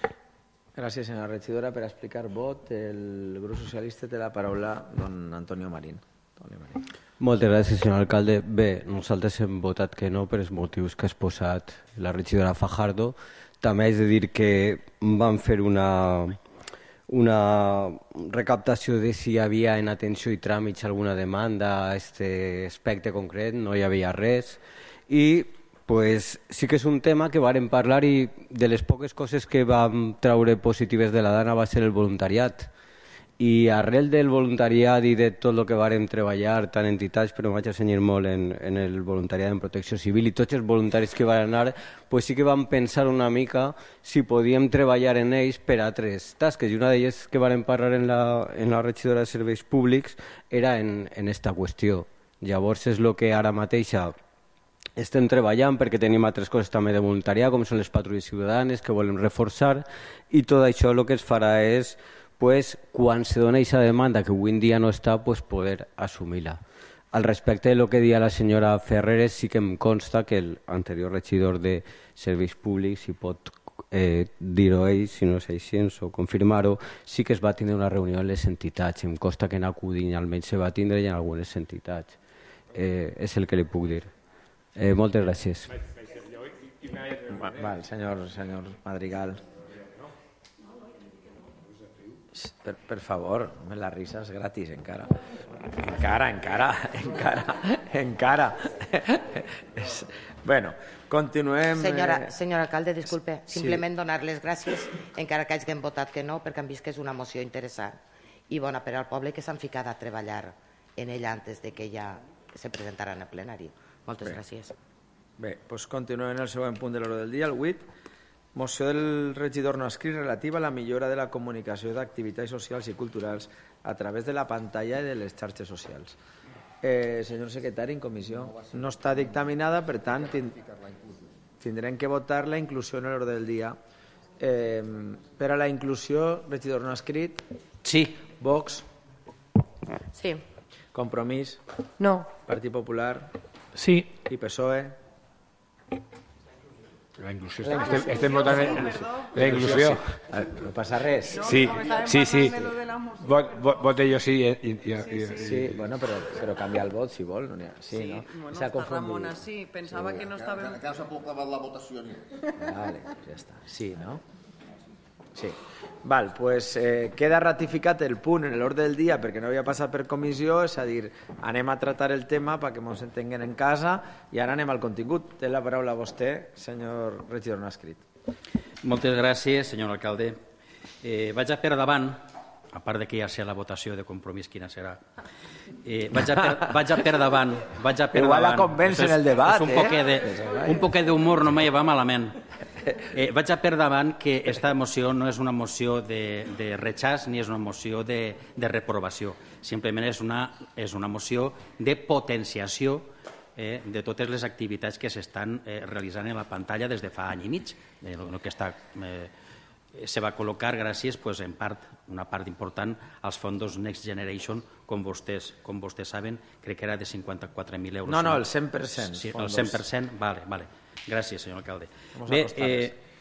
Gràcies, senyora regidora. Per explicar vot, el grup socialista té la paraula don Antonio Marín. Moltes gràcies, senyor alcalde. Bé, nosaltres hem votat que no per els motius que ha exposat la regidora Fajardo. També haig de dir que vam fer una recaptació de si hi havia en atenció i tràmits alguna demanda a aquest aspecte concret, no hi havia res. I sí que és un tema que vàrem parlar i de les poques coses que vam treure positives de la Dana va ser el voluntariat. I arrel del voluntariat i de tot el que vàrem treballar, tant entitats, però em vaig assenyar molt en el voluntariat en protecció civil i tots els voluntaris que van anar, sí que vam pensar una mica si podíem treballar en ells per a altres tasques. I una d'elles que vàrem parlar en la regidora de Serveis Públics era en aquesta qüestió. Llavors és el que ara mateix estem treballant perquè tenim altres coses també de voluntariat, com són les patrulles ciutadanes que volem reforçar, i tot això el que es farà és quan se dona aquesta demanda que avui en dia no està, poder assumir-la. Al respecte de lo que deia la senyora Ferreres, sí que em consta que l'anterior regidor de Serveis Públics, si pot dir-ho ell, si no és així, o confirmar-ho, sí que es va tindre una reunió amb les entitats. Em consta que en Acudin almenys se va tindre i en algunes entitats. És el que li puc dir. Moltes gràcies. Senyor Madrigal. Per favor, la risa és gratis encara. Encara. Bueno, continuem. Senyor alcalde, disculpe, simplement donar les gràcies, encara que hagin votat que no, perquè han vist que és una moció interessant i bona per al poble, que s'han ficat a treballar en ella antes de que ja se presentara en el plenari. Moltes gràcies. Bé, doncs continuem en el següent punt de l'ordre del dia, el 8. Moció del regidor no escrit relativa a la millora de la comunicació d'activitats socials i culturals a través de la pantalla i de les xarxes socials. Senyor secretari, en comissió no està dictaminada, per tant tindrem que votar la inclusió en l'ordre del dia. Per a la inclusió, regidor no escrit? Sí. Vox? Sí. Compromís? No. Partit Popular? Sí. I PSOE? La inclusió. Estem votant la inclusió. No passa res. Sí. Vote jo sí. Sí, bueno, però canviar el vot si vol. Sí, no? Bueno, Ramona, sí. Pensava que no estava... Que s'ha proclamat la votació. Vale, ja està. Sí, no? Sí. Val, pues queda ratificat el punt en l'ordre del dia perquè no havia passat per comissió, és a dir, anem a tratar el tema perquè ens entenguen en casa i ara anem al contingut. Té la paraula vostè, senyor regidor no escrit. Moltes gràcies, senyor alcalde. Vaig a per davant, a part que ja sé la votació de Compromís quina serà, vaig a per davant. Igual la convenç en el debat, Un poquet d'humor no me va malament. Vaig a per davant que aquesta moció no és una moció de rechaç ni és una moció de reprovació. Simplement és una moció de potenciació de totes les activitats que s'estan realitzant en la pantalla des de fa any i mig. El que se va col·locar gràcies, en part, una part important, als fondos Next Generation, com vostès saben, crec que era de 54.000 euros. No, el 100%. Sí, el 100%, vale. Gràcies, senyor alcalde. Bé,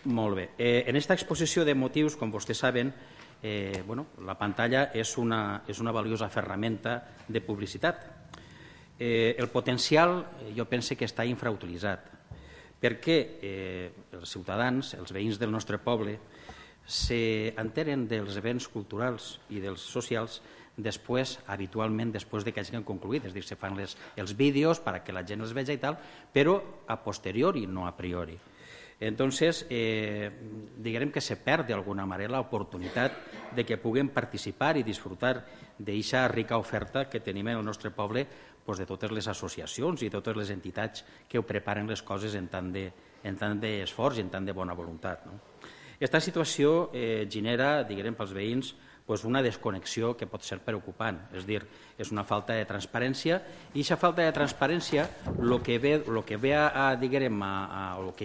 molt bé. En aquesta exposició de motius, com vostès saben, la pantalla és una valiosa ferramenta de publicitat. El potencial jo penso que està infrautilitzat, perquè els ciutadans, els veïns del nostre poble, s'enteren dels events culturals i dels socials habitualment després que hagin concluït, és a dir, se fan els vídeos perquè la gent els vegi i tal, però a posteriori, no a priori. Entonces, diguem que se perd d'alguna manera l'oportunitat de que puguem participar i disfrutar d'aquesta rica oferta que tenim en el nostre poble, de totes les associacions i totes les entitats que ho preparen les coses en tant d'esforç i en tant de bona voluntat. Aquesta situació genera, diguem, pels veïns una desconnexió que pot ser preocupant, és a dir, és una falta de transparència, i aquesta falta de transparència el que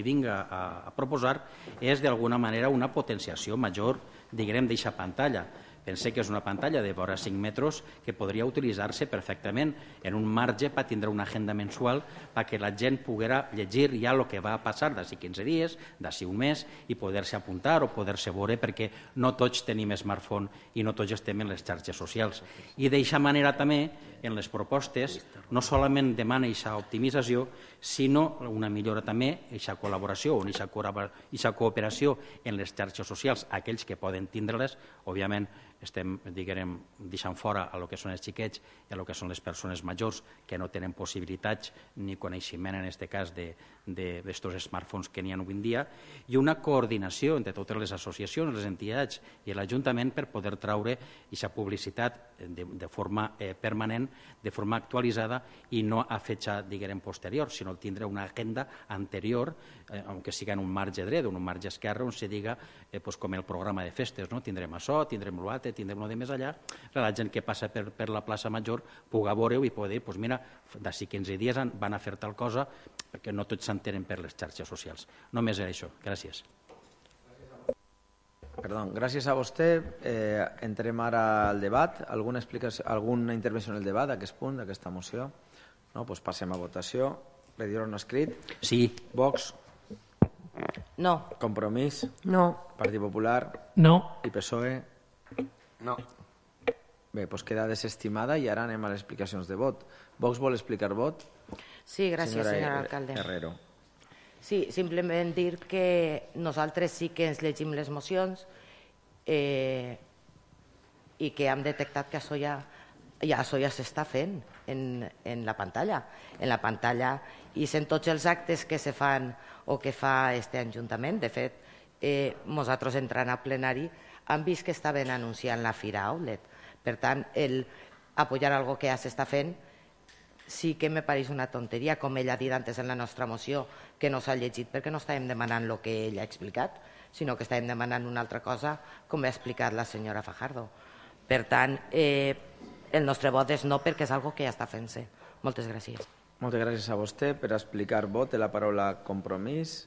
vinga a proposar és d'alguna manera una potenciació major, diguem, d'aquesta pantalla. Pensé que és una pantalla de vora 5 metres que podria utilitzar-se perfectament en un marge per tindre una agenda mensual perquè la gent poguera llegir ja el que va passar d'ací 15 dies, d'ací un mes, i poder-se apuntar o poder-se veure, perquè no tots tenim smartphone i no tots estem en les xarxes socials. I d'aquesta manera també, en les propostes, no solament demana aquesta optimització, sinó una millora també, aquesta col·laboració o aquesta cooperació en les xarxes socials, aquells que poden tindre-les, òbviament, estem, diguem, deixant fora el que són els xiquets i el que són les persones majors que no tenen possibilitats ni coneixement, en aquest cas, d'estos smartphones que n'hi ha avui en dia, i una coordinació entre totes les associacions, les entitats i l'Ajuntament per poder traure aquesta publicitat de forma permanent, de forma actualitzada i no a fetge, diguem, posterior, sinó tindre una agenda anterior, aunque siga en un marge dret o en un marge esquerre, on se diga, com el programa de festes, tindrem això, tindrem l'altre, tindrem lo de més allà, la gent que passa per la plaça Major pugui veure-ho i pugui dir, mira, d'ací 15 dies van a fer tal cosa, perquè no tots s'entenen per les xarxes socials. Només era això. Gràcies. Perdó, gràcies a vostè. Entrem ara al debat. Alguna intervenció en el debat d'aquest punt, d'aquesta moció? No? Doncs passem a votació. Regidor no escrit? Sí. Vox? No. Compromís? No. Partit Popular? No. I PSOE? No. Bé, doncs queda desestimada i ara anem a les explicacions de vot. Vox vol explicar vot? Sí, gràcies, senyor alcalde. Herrero. Sí, simplement dir que nosaltres sí que ens llegim les mocions i que hem detectat que això ja s'està fent en la pantalla. En la pantalla i en tots els actes que se fan o que fa este Ajuntament. De fet, nosaltres entrant a plenari hem vist que estaven anunciant la Fira Outlet. Per tant, el apoyar algo que ja s'està fent sí que me pareix una tonteria, com ell ha dit antes en la nostra moció, que no s'ha llegit perquè no estàvem demanant el que ell ha explicat, sinó que estàvem demanant una altra cosa, com ha explicat la senyora Fajardo. Per tant, el nostre vot és no perquè és algo que ja està fent-se. Moltes gràcies. Moltes gràcies a vostè. Per explicar vot té la paraula Compromís.